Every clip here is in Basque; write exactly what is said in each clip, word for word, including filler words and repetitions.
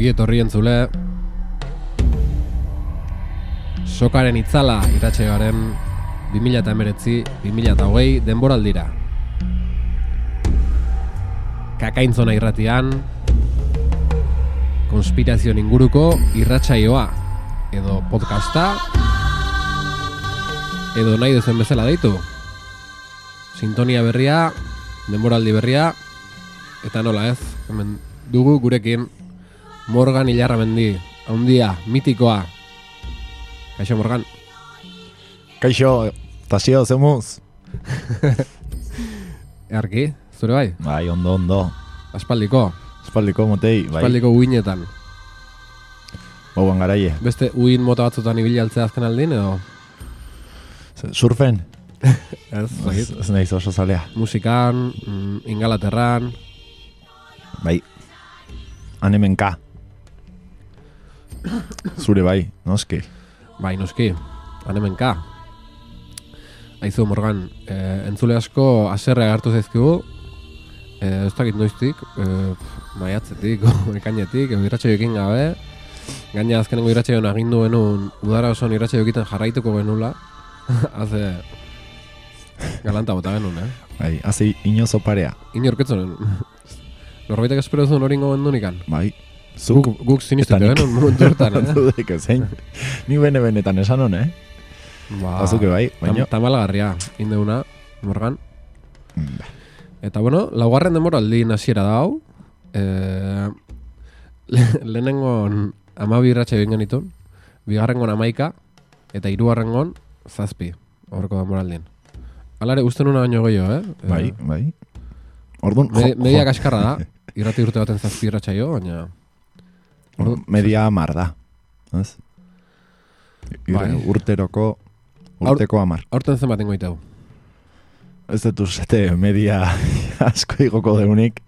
Ongi etorri entzule. Sokaren itzala iratxegaren bi mila hemeretzi bi mila hogei denboraldira. Kakaintzona irratian konspirazioen inguruko irratsaioa edo podcasta edo nahi duzen bezala deitu. Sintonia berria, denboraldi berria, eta nola ez, hemen dugu gurekin Morgan Ilarramendi, haundia, mitikoa. Kaixo, Morgan. Kaixo, tasio, zemuz. Earki, zure bai? Bai, ondo, ondo. Aspaldiko. Aspaldiko, motei, bai. Aspaldiko uinetan. Bauan garaie. Beste uin mota batzutan ibili altzea azken aldin, edo? Surfen? Ez, ez, ez nahiz oso zalea. Musikan, mm, Ingalaterran. Bai. Hanemenka. Zure bai, noski. Bai, noski. Hanemenka. Aizu, Morgan, eh, entzule asko aserre agartu zaizkigu. Eh, ez dakit noiztik, eh, maiatzetik, ekainetik, irratsaioekin gabe. Gaina azkenengo irratsaioan agindu genuen udara osoan irratsaio egiten jarraituko genula. Haze galanta bota genuen, eh? Bai, haze inozo parea. Inorketzonen. Norbaitek espero zuen hori ingo bendunikan. Bai. Guk, guk sinistuko genuen momentu hortan, eh? Zudek ezein. Ni bene-benetan esan hon, eh? Ba, Azuke bai, baina... Tam, tamalagarria, indeuna, Morgan. Eta bueno, laugarren demoraldi hasiera da hau. Eh, le, lehenengon amabi irratxa egin genitun, bigarrengon amaika, eta hirugarrengon zazpi, horreko demoraldien. Alare, uste nuna baino gehiago, eh? Bai, bai. Orduan, Me, media kaskarra da, irrati urte baten zazpi irratxaio, baina... Orduan, media amar da. Ez? Bai. Urteroko, urteko amar. Horten zen baten goiteu. Ez dut uzete media asko igoko deunik.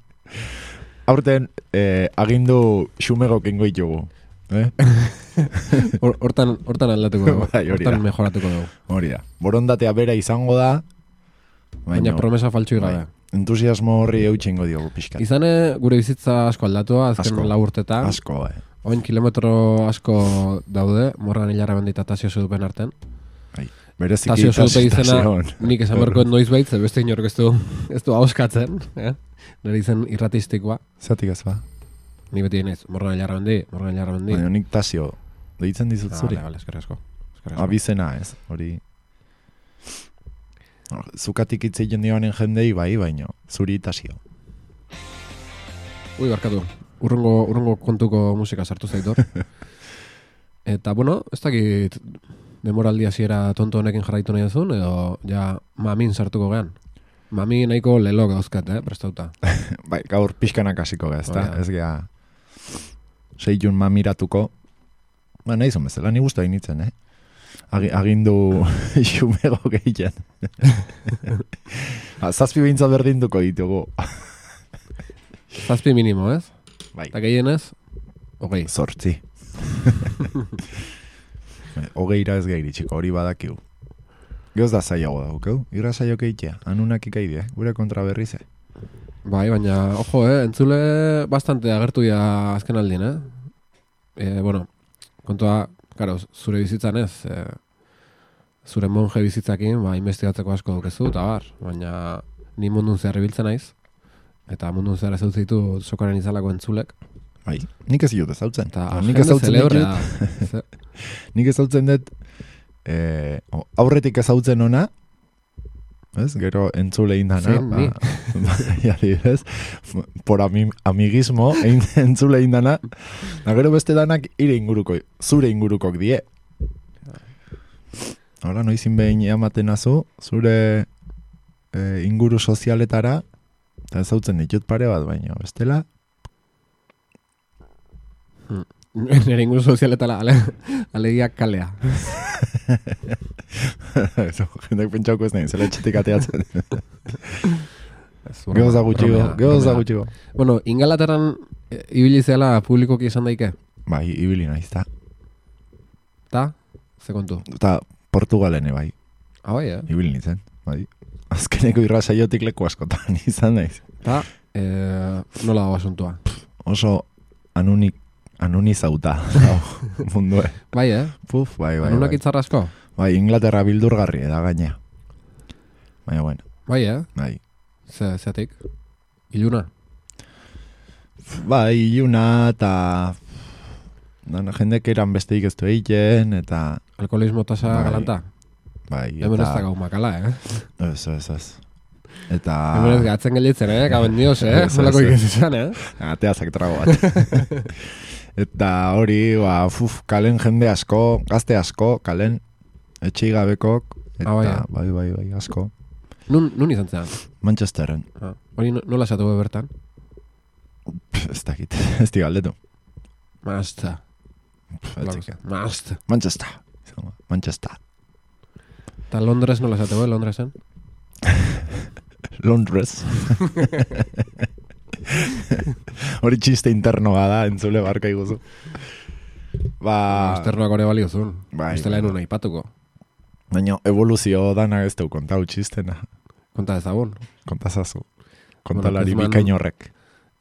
Aurten eh, agindu xumegok ingo ditugu. Eh? Hortan hortan aldatuko dugu, Bai, hortan mejoratuko dugu. Hori da. Borondatea bera izango da. Baina promesa faltsu gabe. Bai. Entusiasmo horri eutxingo diogu pixkat. Izane gure bizitza asko aldatua, azken lau urtetan. Asko, bai. Oin kilometro asko daude, Morgan Ilarramendi eta Tasio Zudupen arten. Bai. Bereziki Tasio Zudupe izena, tasion. nik esan berkoet noiz baitz, beste inork ez du, ez du hauskatzen. Eh? Nire izen irratistikoa. Zatik ez ba? Ni beti naiz, Morgan Ilarramendi, Morgan Ilarramendi. Baina nik Tasio deitzen dizut zuri. Vale, vale, eskerrik asko. Abizena ez, hori... Zukatik itzeiten dioanen jendei bai, baino, zuri Tasio. Ui, barkatu, urrungo, urrungo kontuko musika sartu zaitor. Eta, bueno, ez dakit demoraldi hasiera tonto honekin jarraitu nahi duzun, edo ja mamin sartuko gean. Mami nahiko lelo gauzkat, eh, prestauta. Bai, gaur pixkanak hasiko gaz, Oh, ja. ez gea seitun mamiratuko. Ba, nahi zon bezala, ni guztu hainitzen, eh? Agi, agindu xumego gehien. Zazpi behintzat berdinduko ditugu. Zazpi minimo, ez? Bai. Eta gehienez, hogei. Zortzi. Hogeira ez gehi txiko, hori badakiu. Geoz da zaiago daukeu, irra zaio keitea, anunak ikaide, gure kontra berrize. Bai, baina, ojo, eh, entzule bastante agertu ya azken aldien, eh? E, bueno, kontua, karo, zure bizitzan ez, e, zure monje bizitzakin, ba, investigatzeko asko dukezu, eta bar, baina ni mundun zehar ibiltzen naiz, eta mundun zehar ez dut zitu sokaren izalako entzulek. Bai, nik ez dut ezautzen. Eta nik jende ezautzen zelebrea. dut. Nik ezautzen dut, eh, aurretik ezautzen ona, ez? Gero entzule indana. Zein, ni? Adibidez, por ami, amigismo, ein, entzule indana. Da gero beste danak ire inguruko, zure ingurukok die. Hola, noizin behin ematen azu, zure eh, inguru sozialetara, eta ezautzen ditut pare bat, baina bestela. Hmm. Nire inguru sozialetala, ale, alegia kalea. Jendak pentsauko ez nahi, zela etxetik ateatzen. Geoza gutxigo, geoza gutxigo. Bueno, Ingalaterran e, ibili zela publikoki esan daike? Bai, ibili naiz, ta. Ta? Ze kontu? Ta Portugalene, bai. Ah, bai, eh? Ibili nintzen, bai. Azkeneko irrasaiotik leku askotan izan naiz. Ta, e, nola dago asuntua? Oso anunik anonizauta, mundue. Bai, eh? Puf, bai, bai, Anunak bai. itzarrasko? Bai, Inglaterra bildurgarri da gaina. Baina, bueno. Bai, eh? Bai. Ze, zeatik? Iluna? Bai, iluna, eta... Dana, jendek eran besteik ez du egiten, eta... Alkoholismo tasa Bai. galanta? Bai, Hemen ez eta... da gau makala, eh? Ez, ez, ez. Eta... Hemen ez gatzen gelitzen, eh? Gaben dios, eh? Ez, ez, Zolako ez. ikizizan, eh? Ateazak trago bat. Eta hori, ba, fuf, kalen jende asko, gazte asko, kalen, etxei gabekok, eta, Ah, bai, eh? bai, bai, bai, asko. Nun, nun izan zean? Manchesterren. Ah, hori no- nola esatu bertan? Pff, ez dakit, ez di galdetu. Mazta. Pff, ez dakit. Mazta. Manchester. Manchester. Eta Londres nola esatu, eh? Londresen? Londres. Hori txiste interno bada, entzule barka iguzu. Ba... Azternoak ore baliozun. Bai, Bestela bai. enun aipatuko. Baina evoluzio dana ez deu kontau txistena. Konta ezagun. Kontazazu. Kontalari Bueno, Kezman- bikain horrek.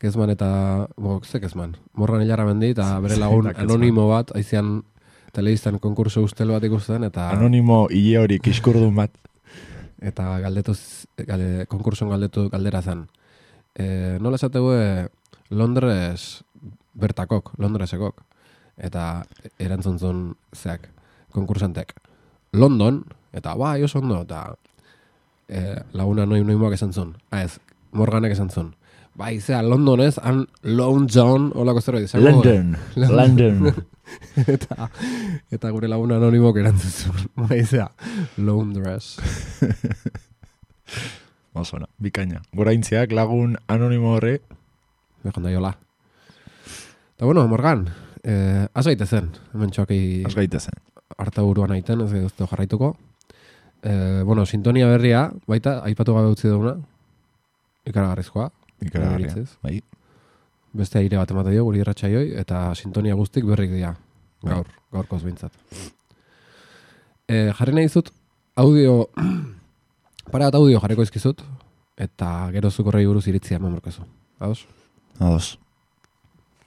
Kezman eta... Bo, ze Kezman? Morgan hilarra mendi eta bere lagun Zein da Kezman? anonimo bat, aizian telebistan konkurso ustel bat ikusten, eta... Anonimo hile hori kiskurdun bat. Eta galdetuz, galde, konkurson galdetu galdera zen. E, nola esategu Londres bertakok, Londresekok. Eta erantzun zuen zeak, konkursantek. London, eta bai, oso ondo, eta e, laguna noi noimoak esan zuen. Ah, ez, Morganek esan zuen. Bai, zea, Londonez, han Lone John, holako zerbait izango. London. London. eta, eta gure laguna anonimok erantzun zuen. Bai, zea, Londres. Osona, bikaina. Goraintziak lagun anonimo horre. Bejon da jola. Eta bueno, Morgan, eh, az gaite zen, hemen txoaki Azgaite zen. harta buruan aiten, ez duzte jarraituko. Eh, bueno, sintonia berria, baita, aipatu gabe utzi duguna, ikaragarrizkoa. Ikaragarria. Nire iritziz. Bai. Beste aire bat emate dio, guri irratxaioi, eta sintonia guztik berrik dira, gaur, gaurkoz behintzat. Eh, jarri nahi dizut, audio, para bat audio jarriko izkizut, eta gero zukorrei buruz iritzia memorkezu. Ados? Ados.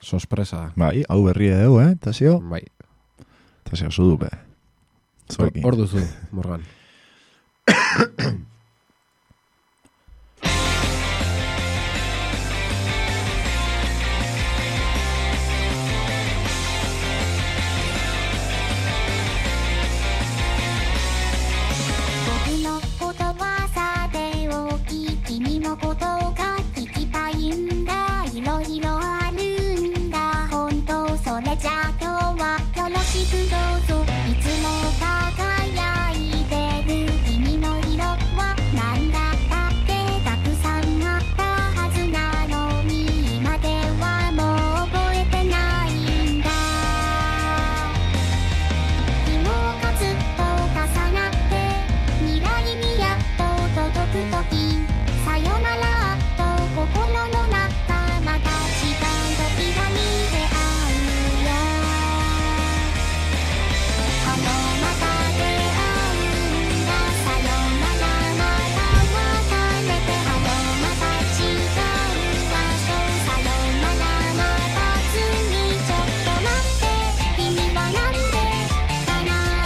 Sospresa. Bai, hau berri edo, eh, Tasio? Bai. Tasio, zudupe. Zuekin. Hor duzu, Morgan.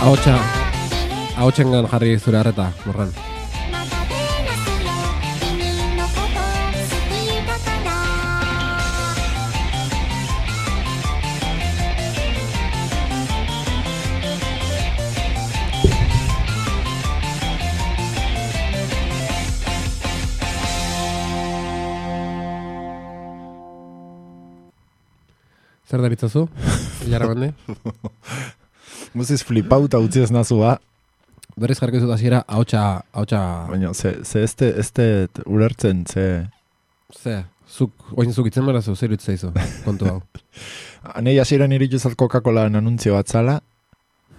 Ahotsa, ahotsengan jarri zure harreta, Morgan. Zer daritzazu? Ilarra bande? Guziz flipauta utzi ez nazu ba. Berriz jarriko izut hasiera ahotsa, ahotsa... Baina, ze, ze este, este ulertzen, ze... Ze, zuk, oin zuk itzen berazu, zer itzaizu, kontu hau. Anei hasieran iritu zat Coca-Colaan anuntzio bat zala,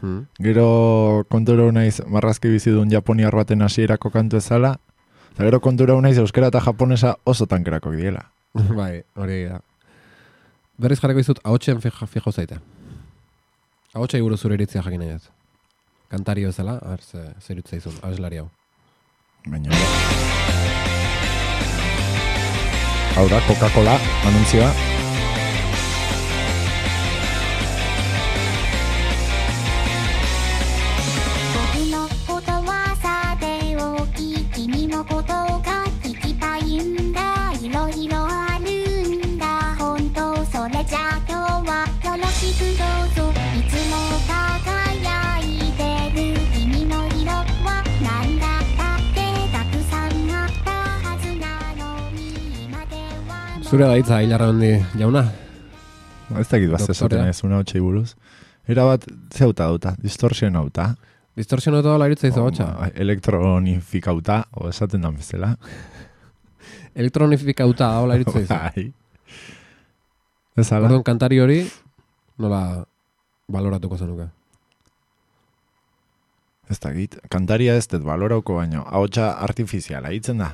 Hmm. gero konturo naiz marrazki bizidun japoniar baten hasierako kantu ezala, eta gero konturo naiz euskera eta japonesa oso tankerakok diela. Bai, hori da. Berriz jarriko izut ahotsen fijo, fijo zaite. Ahotsa iguru zure iritzia jakin nahi dut. Kantario ezala, ar, ze, zer itzaizun, abeslari hau. Baina... Hau da, Coca-Cola anuntzioa. Zure da hitza, Hilarra Mendi jauna. Ez dakit bat zezaten ez, una hotxei buruz. Era bat, zeuta dauta, distorsionauta. Distorsionauta dola iritza izo hotxa? Elektronifikauta, o esaten da bezala. Elektronifikauta dola iritza izo. Bai. Ez ala? Orduan, kantari hori, nola baloratuko zenuke? Ez dakit, kantaria ez dut balorauko baino, ahotsa artifiziala, hitzen da.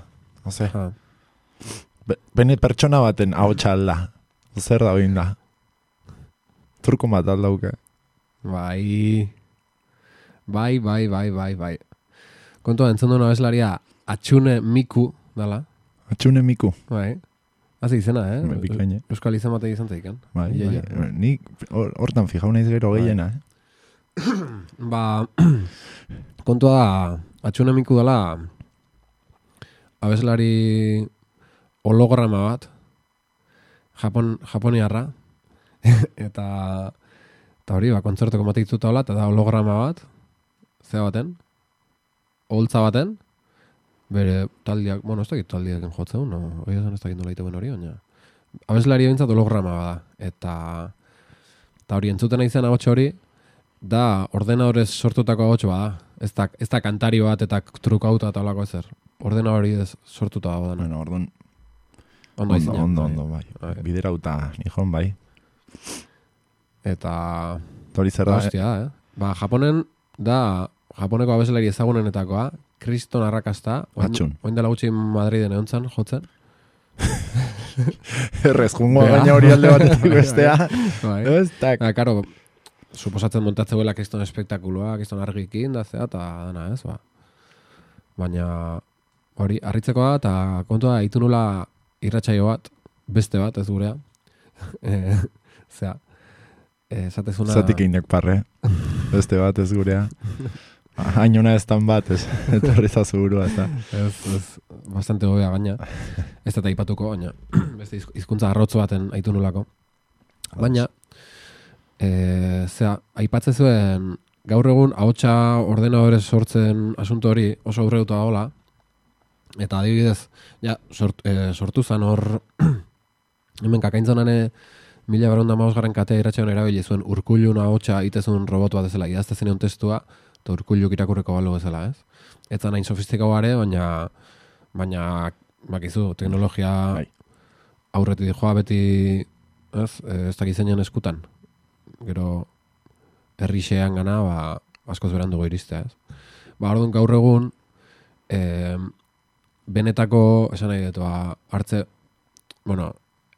Oze, Be, bene pertsona baten ahotsa alda. Zer da behin da. Turko bat aldauke. Bai, bai, bai, bai, bai, bai. Kontua, entzun duen abeslaria Atxune Miku, dala? Atxune Miku. Bai. Hazi izena, eh? Bikaine. Euskal izan bate izan zeiken. Bai, bai. Ni hortan fijau naiz gero gehiena, eh? Ba, kontua da, Atxune Miku dala abeslari holograma bat, Japon, Japoniarra, eta eta hori, ba, kontzertoko matitzuta hola, eta da holograma bat, zea baten, holtza baten, bere taldiak, bueno, ez dakit taldiak jotzen, no? Hori esan ez dakit nola iten hori, baina abeslari bintzat holograma bada, eta eta hori entzuten izan ahotsa hori, da ordenadorez sortutako ahotsa bada, ez da, ez da kantari bat eta trukauta eta holako ezer, ordenadori ez sortuta dago dena. Bueno, orduan, Ondo, ondo, ondo, ondo, bai. bai. Biderauta, nihon, bai. Eta Tori zer da, hostia, eh? Ba, Japonen da Japoneko abeslari ezagunenetakoa, kriston arrakasta, Atxun. oin dela gutxi Madriden egontzan, jotzen. Errez, jungo baina hori alde batetik bestea. Bai. Ez, tak. Ba, karo, suposatzen montatzeuela kriston espektakuloa, kriston argikin, da zea, eta dana, ez, ba. Baina, hori, harritzekoa, eta kontua, itunula irratsaio bat, beste bat, ez gurea. e, zea, esatezuna... Zatik einak parre. Beste bat, ez gurea. Hainona ez tan bat, ez. Eta horreza zugurua, ez da. Ez, ez, bastante gobea gaina. Ez da taipatuko, baina beste hizkuntza arrotzo baten aitu nulako. Baina, e, zera, aipatze zuen gaur egun ahotsa ordenadorez sortzen asunto hori oso aurreuta dagoela. Eta adibidez, ja, sort, e, sortu zan hor, hemen kakaintzanane mila beronda mausgarren katea iratxean erabili zuen urkullun ahotsa itezun robot bat ezela, idazte zenean testua, eta urkulluk irakurreko balu bezala, ez? Ez da nahin sofistikau gare, baina, baina, bakizu, teknologia bai. aurretik joa beti, ez, ez da gizenean eskutan. Gero, herrixean gana, ba, askoz berandugo iristea, ez? Ba, orduan gaur egun, eh, benetako, esan nahi dut, ba, hartze, bueno,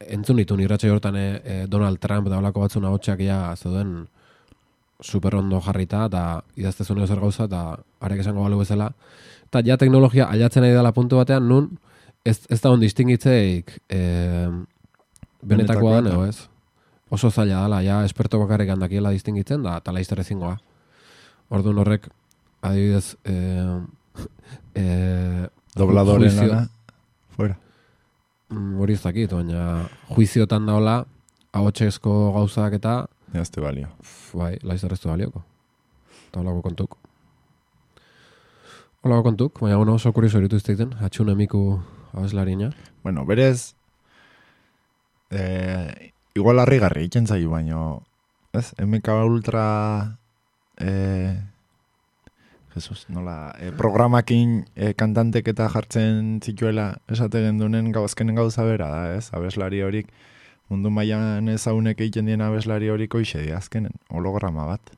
entzun ditu irratsaio hortan e, Donald Trump da holako batzuna hotxak ja zeuden super ondo jarrita, eta idaztezun zer gauza, eta arek esango balu bezala. Eta ja teknologia aldatzen nahi dela puntu batean, nun ez, ez da hon distingitzeik e, benetakoa den, edo ez? Oso zaila dela, ja esperto bakarrik handakiela distingitzen, da tala izter ezingoa. Orduan horrek, adibidez, e, e, dobladoren juizio, lana, fuera. Hori ez dakit, baina juiziotan daola, ahotxezko gauzak eta... Jazte balio. Bai, laizar ez du balioko. Eta holako kontuk. Holako kontuk, baina bueno, oso kurioso eritu izteiten, Atxune Miku abeslarina. Bueno, berez, eh, igual harrigarri iken zaiu, baino, ez? M K Ultra... Eh, Jesus, nola, e, programakin e, kantantek eta jartzen zituela esate gendunen gauzkenen gauza bera da, ez? Abeslari horik, mundu mailan ezagunek egiten dien abeslari horik hoxe di azkenen, holograma bat.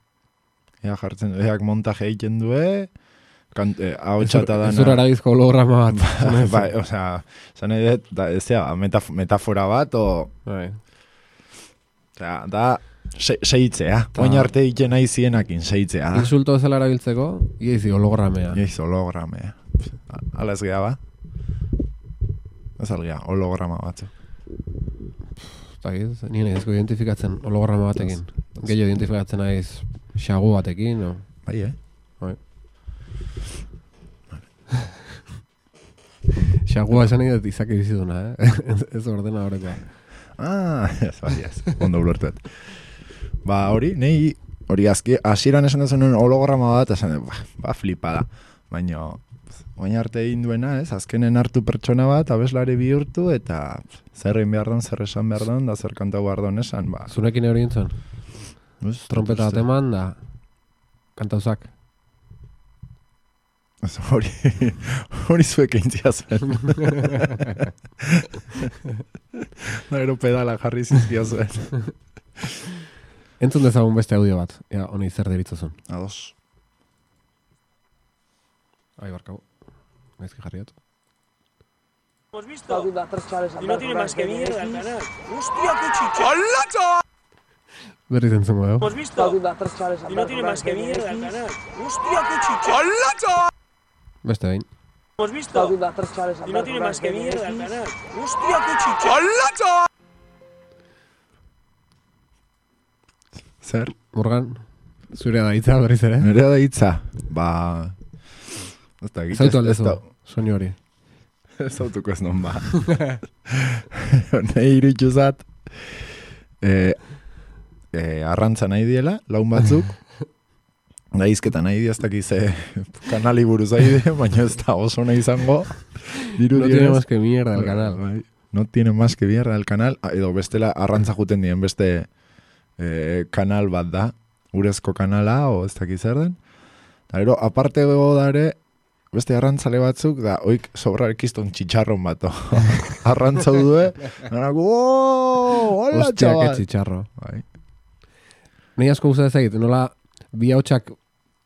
Ea jartzen, eak montaje egiten due, e, ahotxata dana... Ez urara bizko holograma bat. Bai, bai, osea, zan edo, da, ez da, metaf metafora bat, o... Bai. Osea, da... Se, seitzea, oin arte egiten nahi zienakin, seitzea. Insulto ezela erabiltzeko, iezi hologramea. Iezi hologramea. Ala ez geha ba? Ez algea, holograma batzu. Zagiz, nien ezko identifikatzen holograma batekin. Gehiago identifikatzen naiz xagu batekin, no? Bai, eh? Bai. Xagua esan nahi dut izak ibiziduna, eh? Ez ordena horrekoa. Ah, ez bai, ez. Ondo ulertet. Ba, hori, nahi, hori azki, hasieran esan dezen holograma bat, esan, ba, ba flipada. Baina, oin arte egin duena, ez? Azkenen hartu pertsona bat, abeslari bihurtu, eta zer egin behar don, zer esan behar don, da zer kantau behar don esan, ba. Zurekin hori gintzen? Trompeta bat eman, da kantauzak. Hori, hori zuek eintzia zuen. Da, gero pedala jarri zizkia zuen. Entzun dezagun beste audio bat, ja, honi zer deritzuzun. Ados. Ahí barcao. Gaizki jarriat. ¿Hemos visto? Y no tiene más que mierda el canal. ¡Hostia, qué chicha! ¡Hola, chaval! Berriz entzungo, eh? ¿Hemos visto? Y no tiene más que mierda el canal. ¡Hostia, qué chicha! ¡Hola, chaval! Beste behin. ¿Hemos visto? Y no tiene más que mierda el canal. ¡Hostia, qué chicha! ¡Hola, chaval! Zer? Morgan, zurea da hitza berriz ere. Nerea da hitza. Ba... Zautu aldezu, soinu hori. Zautuko ez non ba. Nahi iritsu zat. E, e, arrantza nahi diela, laun batzuk. Da izketa nahi di, ez dakiz kanali buruz aide, baina ez da oso nahi izango. Diru no tiene más que mierda el canal. Bai, no tiene más que mierda el canal. Edo bestela arrantza juten dien beste e, kanal bat da. Urezko kanala, o ez dakiz zer den. Da, ero, aparte gogo dare, beste arrantzale batzuk, da, oik sobrarek izton txitxarron bato. Arrantzau due, nanako, oh, hola, Ostia, chaval. que txitxarro. Bai. Nei asko guztat ez egit, nola bi hautsak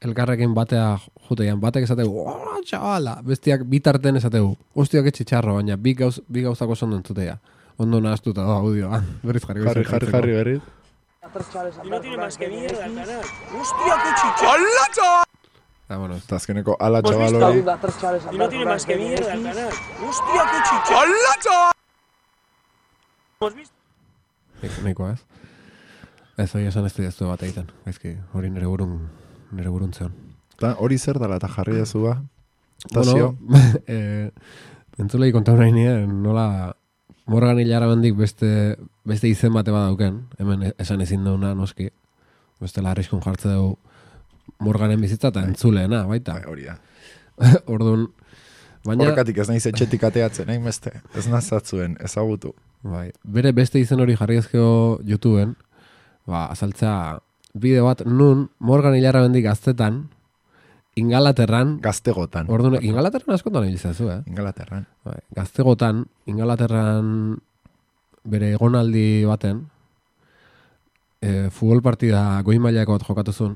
elkarrekin batea jutean, batek esategu, hola, chavala, bestiak bitarten esategu, ostia, que txitxarro, baina bi, gauz, bi gauzako ondo entzutea. Ondo nahaztuta da audioa. Berriz jarri. Jarri, jarri, jarri, berriz. Y no tiene más que mierda el canal. ¡Hostia, qué chicha! ¡Hola, chaval! Ah, bueno, Eta azkeneko ala ¿Hemos chaval visto? hori. Y no tiene más que mierda el canal. ¡Hostia, qué chicha! ¡Hola, chaval! ¿Hemos visto? nahikoa ez. Ez hori esan ez diaztu bat egiten. Gaizki, hori nire burun, nire burun zeon. Ta, hori zer dala eta jarri dezu ba? Bueno, eh, entzulei kontau nahi nien, nola Morgan hilara bendik beste, beste izen bate badauken, hemen esan ezin dauna noski, beste larrizkun jartze dugu Morganen bizitza eta entzuleena, baita. Bai, hori da. Orduan, baina... Horrekatik ez naiz etxetik ateatzen, nahi beste. Ez nazatzuen, ezagutu. Bai, bere beste izen hori jarri ezkeo YouTubeen, ba, azaltzea bideo bat nun Morgan hilara bendik gaztetan, Ingalaterran, Gaztegotan. orduan, Ingalaterran askotan egizazu, eh? Ingalaterran. Bai, gaztegotan, Ingalaterran bere egonaldi baten, e, futbol partida goi mailako bat jokatu zuen,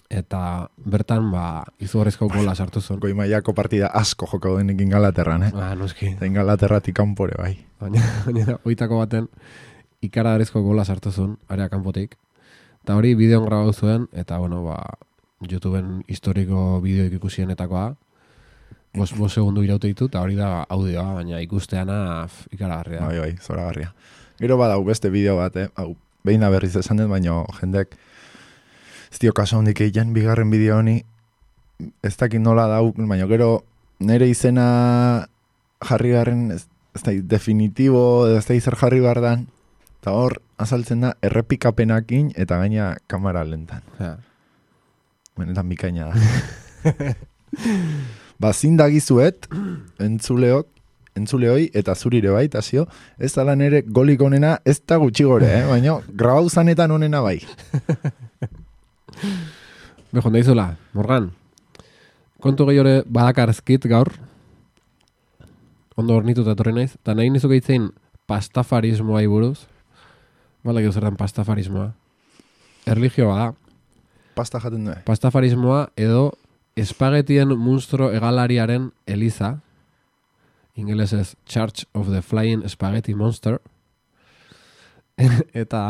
eta bertan, ba, izugarrizko gola sartu zuen. Goi mailako partida asko joko denik Ingalaterran, eh? Ah, noski. Eta Ingalaterratik kanpore, bai. Baina, baina, oitako baten, ikaradarrizko gola sartu zuen, area kanpotik. Eta hori bideon grabatu zuen, eta, bueno, ba, YouTubeen historiko bideoik ikusienetakoa, bos, bos segundu iraute ditu, eta hori da audioa, baina ikusteana f, ikaragarria. Bai, bai, zoragarria. Gero badau beste bideo bat, eh? Hau, behin berriz esan dut, baina jendek ez dio kaso hondik egiten, bigarren bideo honi, ez dakit nola dau, baina gero nire izena jarri garren, ez, ez da definitibo, ez da zer jarri gardan, eta hor azaltzen da errepikapenakin eta gaina kamera lentan. Ja. Benetan bikaina da. Ba, zindagizuet, entzuleok, entzuleoi, eta zurire bai, tasio, ez da nere golik onena, ez da gutxi gore, eh? Baina, grabau zanetan onena bai. Bejo, naizula, Morgan, kontu gehiore badakarzkit gaur, ondo hornituta etorri naiz, eta nahi nizuke hitzein pastafarismoa buruz, bala gero zertan pastafarismoa, erligioa da, Pasta jaten du. pastafarismoa edo espagetien munstro egalariaren eliza, ingelesez Church of the Flying Spaghetti Monster, eta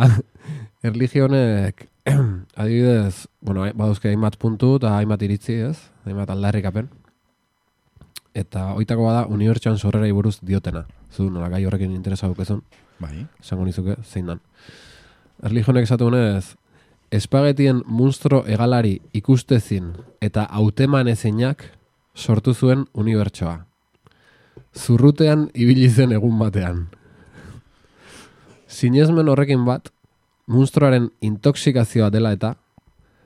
erligionek adibidez, bueno, baduzke hainbat puntu eta hainbat iritzi, ez? Hainbat aldarrikapen. Eta oitako bada unibertsuan sorrera buruz diotena. Zu nola gai horrekin interesa dukezun, Bai. esango nizuke, zein dan. Erligionek esatu honez, espagetien munstro egalari ikustezin eta hauteman ezinak sortu zuen unibertsoa. Zurrutean ibili zen egun batean. Sinesmen horrekin bat, munstroaren intoxikazioa dela eta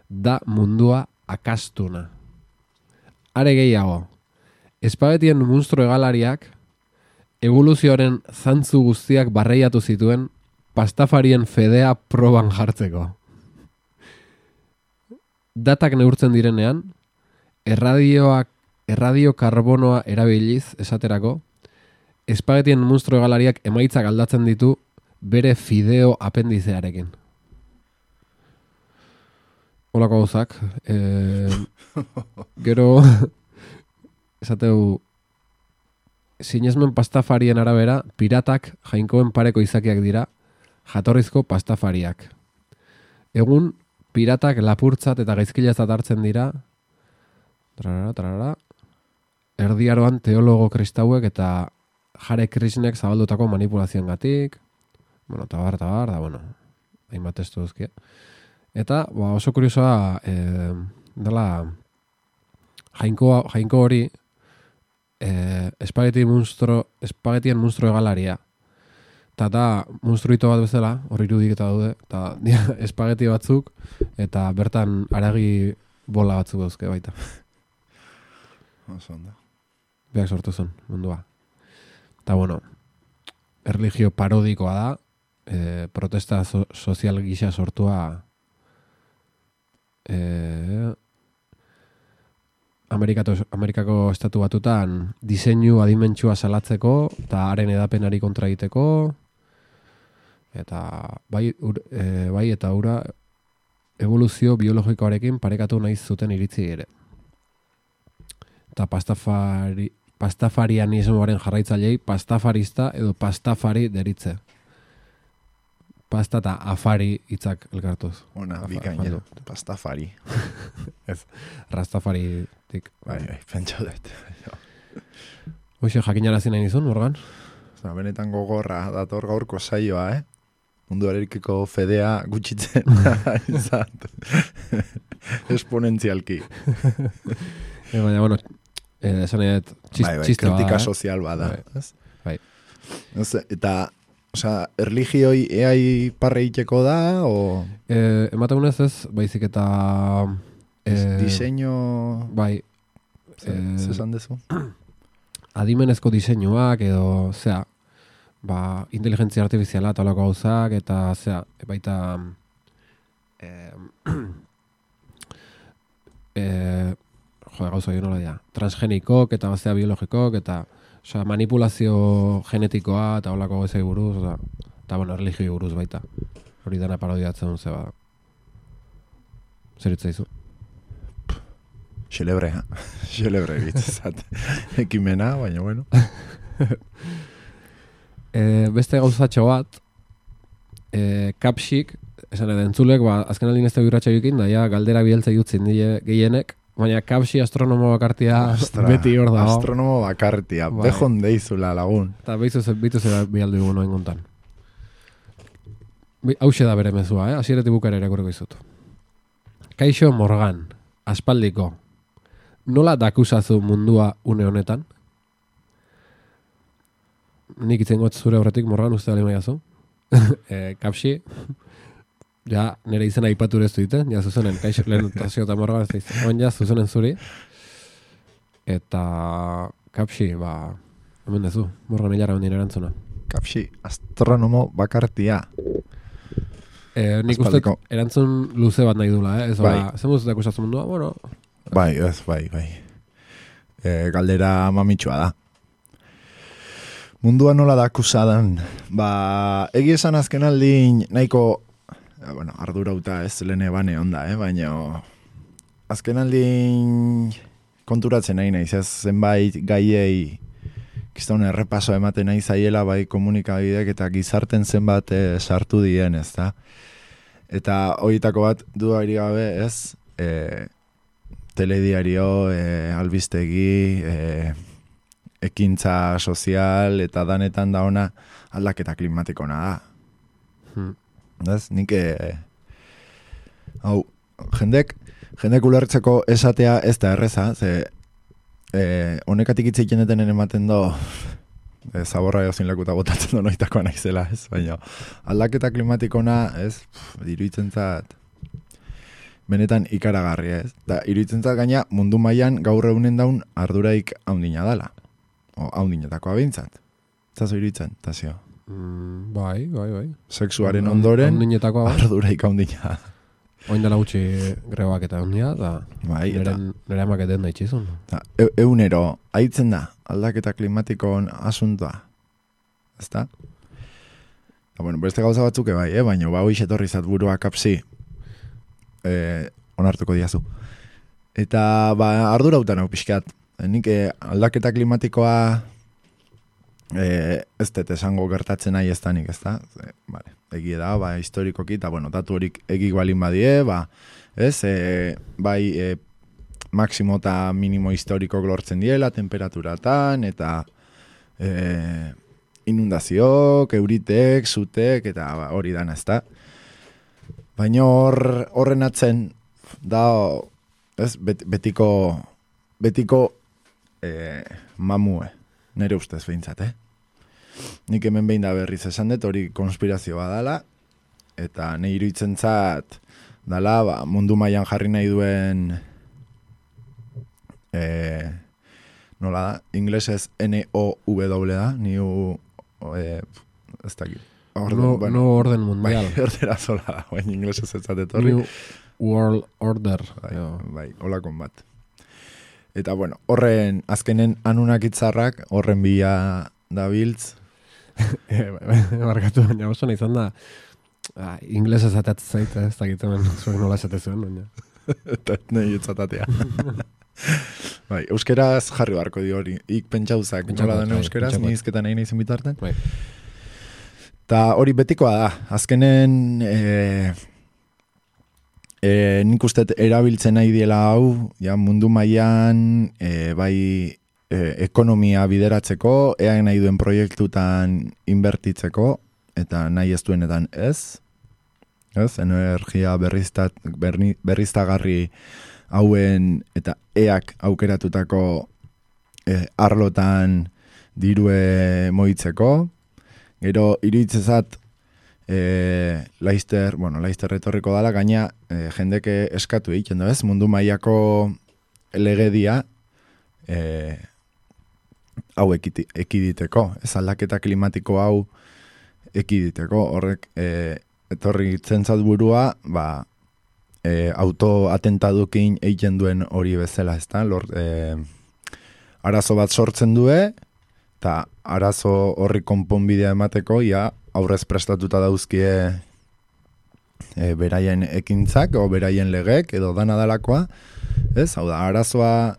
da mundua akastuna. are gehiago, espagetien munstro hegalariak evoluzioaren zantzu guztiak barreiatu zituen pastafarien fedea proban jartzeko. Datak neurtzen direnean, erradioak, erradio karbonoa erabiliz esaterako, espagetien munstro hegalariak emaitzak aldatzen ditu bere fideo apendizearekin. Olako gauzak. E, gero, esateu, sinesmen pastafarien arabera, piratak jainkoen pareko izakiak dira, jatorrizko pastafariak. Egun, piratak lapurtzat eta gaizkilatzat hartzen dira, trarara, trarara, erdiaroan teologo kristauek eta Hare Krishnek zabaldutako manipulazioengatik, bueno, tabar, tabar, da, bueno, hainbat testu duzkia. Eta, ba, oso kuriosoa, e, dela, jainko, jainko hori, e, espageti munstro, espagetien munstro egalaria. Eta da, munstruito bat bezala, hori irudik eta daude, eta dia, espageti batzuk, eta bertan aragi bola batzuk dauzke baita. Oso ondo. Beak sortu zen, mundua. Eta, bueno, erlijio parodikoa da, e, protesta so, sozial gisa sortua e, Amerikako, Amerikako estatu batutan diseinu adimentsua salatzeko eta haren edapenari kontra egiteko eta bai, ur, e, bai eta ura evoluzio biologikoarekin parekatu nahi zuten iritzi ere. Eta pastafari, pastafarianismoaren jarraitzailei pastafarista edo pastafari deritze. Pasta eta afari hitzak elkartuz. Ona, bikaina, pastafari. Ez, rastafaritik. Bai, bai, pentsa dut. Hoxe, jakinarazi nahi nizun, Morgan? Osa, benetan gogorra, dator gaurko saioa, eh? Mundu arekiko fedea gutxitzen izan. Esponentzialki. E, baina, bueno, eh, esan edo txist, bai, bai, txiste bada. kritika sozial bada. Bai. Ez? Bai. Ez, eta, osea, erligioi eai parre iteko da, o... E, emategunez ez, baizik eta... E, diseño... Bai. Zesan dezu? Adimenezko diseinuak edo, zera, ba, inteligentzia artifiziala eta olako gauzak, eta, zera, baita... E, e, jo, gauza jo nola dira, transgenikok eta bazea biologikok, eta osea, manipulazio genetikoa eta olako gauzai buruz, oza, eta bueno, erligioi buruz baita. Hori dana parodiatzen duen zeba. Zer itzaizu? Xelebre, ha? Xelebre bitzat. Ekimena, baina bueno. e, beste gauzatxo bat, e, kapxik, esan edo entzulek, ba, azken aldin ez da birratxa jukin, daia galdera bieltza jutzin die gehienek, baina kapsi astronomo bakartia Astra, beti hor dago. Astronomo bakartia, bai. Behon deizula lagun. Eta behizu ze bialdu egun noen gontan. Hauxe da bere mezua, eh? Asieretik bukara irakurriko izut. Kaixo Morgan, aspaldiko. Nola dakusazu mundua une honetan? Nik itzengot zure horretik, Morgan, uste da limaiazu. e, kapsi, ja, nire izena aipatu ez duiten, ja zuzenen, kaixo lehen tazio eta Morgan ez duiten. Oen ja, zuzenen zuri. Eta kapsi, ba, hemen dezu, Morgan hilara hondien erantzuna. Kapsi, astronomo bakartia. Eh, nik uste erantzun luze bat nahi dula, eh? Ez bai. Ba, zen muztetak usatzen mundua, bueno... Bai, ez, bai, bai. E, galdera mamitsua da. Mundua nola da akusadan. Ba, egi esan azken aldin nahiko, eh, bueno, ardurauta ez lehene bane onda, eh? Baina azken aldin konturatzen nahi naiz, ez zenbait gaiei kiston errepaso ematen nahi zaiela bai komunikabidek eta gizarten zenbat eh, sartu dien, ez da? Eta horietako bat dudarik gabe, ez? E, telediario, e, albistegi, e, ekintza sozial eta danetan da ona aldaketa klimatikona da. Hmm. Ez? Nik e, hau, jendek, jendek ulertzeko esatea ez da erreza, ze e, honekatik hitz egiten deten ematen do e, zaborra jozin lekuta botatzen do noitakoa naizela, ez? Baina aldaketa klimatikona, ez? Diruitzen zat benetan ikaragarria, ez? Da, iruditzen zat gaina mundu mailan gaur egunen daun arduraik haundina dala. O, haundinetakoa behintzat. Zazo iruditzen, Tasio? Mm, bai, bai, bai. Sexuaren ondoren Haundinetakoa, bai. arduraik haundina. Oin dela gutxi grebak eta handia, da Bai, eta nire amaketen da itxizun. Da, e, eunero, haitzen da, aldaketa klimatikoan asuntoa. Ezta? Da, bueno, beste gauza batzuk bai, eh? Baina ba hoiz etorri zat burua kapsi. Eh, onartuko diazu. Eta ba ardurautan hau pixkat. Nik eh, aldaketa klimatikoa eh, ez dut esango gertatzen nahi ez da nik, ez da? E, vale, egia da, ba, historikoki, eta bueno, datu horik egik balin badie, ba, ez? E, bai, e, maksimo eta minimo historiko lortzen diela, temperaturatan, eta e, inundazioak, euritek, zutek, eta ba, hori dana, ez da? Baina hor, horren atzen, da, ez, bet, betiko, betiko e, mamue, nire ustez behintzat, eh? Nik hemen behin da berriz esan dut, hori konspirazioa dala, eta nahi iruditzen zat, dala, ba, mundu mailan jarri nahi duen, e, nola da, inglesez N O W da, new, e, ez dakit. Orden, no, bueno, no orden mundial. Bai, erdera zola da, baina inglesez ez zatetorri. New World Order. Bai, bai, holakon bat. Eta bueno, horren azkenen anunak itzarrak, horren bila da biltz. Barkatu, baina oso nahi izan da, ah, inglesez atatzen zaita, ez dakit hemen zuen nola esate zuen, baina. Eta nahi etzatatea. Bai, euskeraz jarri barko di hori. Ik pentsauzak, nola den euskeraz, ni izketan nahi nahi zen bitarten. Bai. Ta hori betikoa da, azkenen e, e, nik uste erabiltzen nahi diela hau, ja, mundu mailan e, bai e, ekonomia bideratzeko, ean nahi duen proiektutan inbertitzeko, eta nahi ez duenetan ez, ez, energia berriztat, berni, berriztagarri hauen eta eak aukeratutako e, arlotan dirue moitzeko. Gero, iruditzezat, e, Laister, bueno, Laister retorriko dala, gaina e, jendeke eskatu egiten da, ez? Mundu mailako legedia e, hau ekiti, ekiditeko, ez aldaketa klimatiko hau ekiditeko, horrek e, etorri zentzat burua, ba, e, autoatentadukin egiten duen hori bezala, ez da? Lor, e, arazo bat sortzen due, eta arazo horri konponbidea emateko, ja, aurrez prestatuta dauzkie e, beraien ekintzak, o beraien legek, edo dana dalakoa, ez? Hau da, arazoa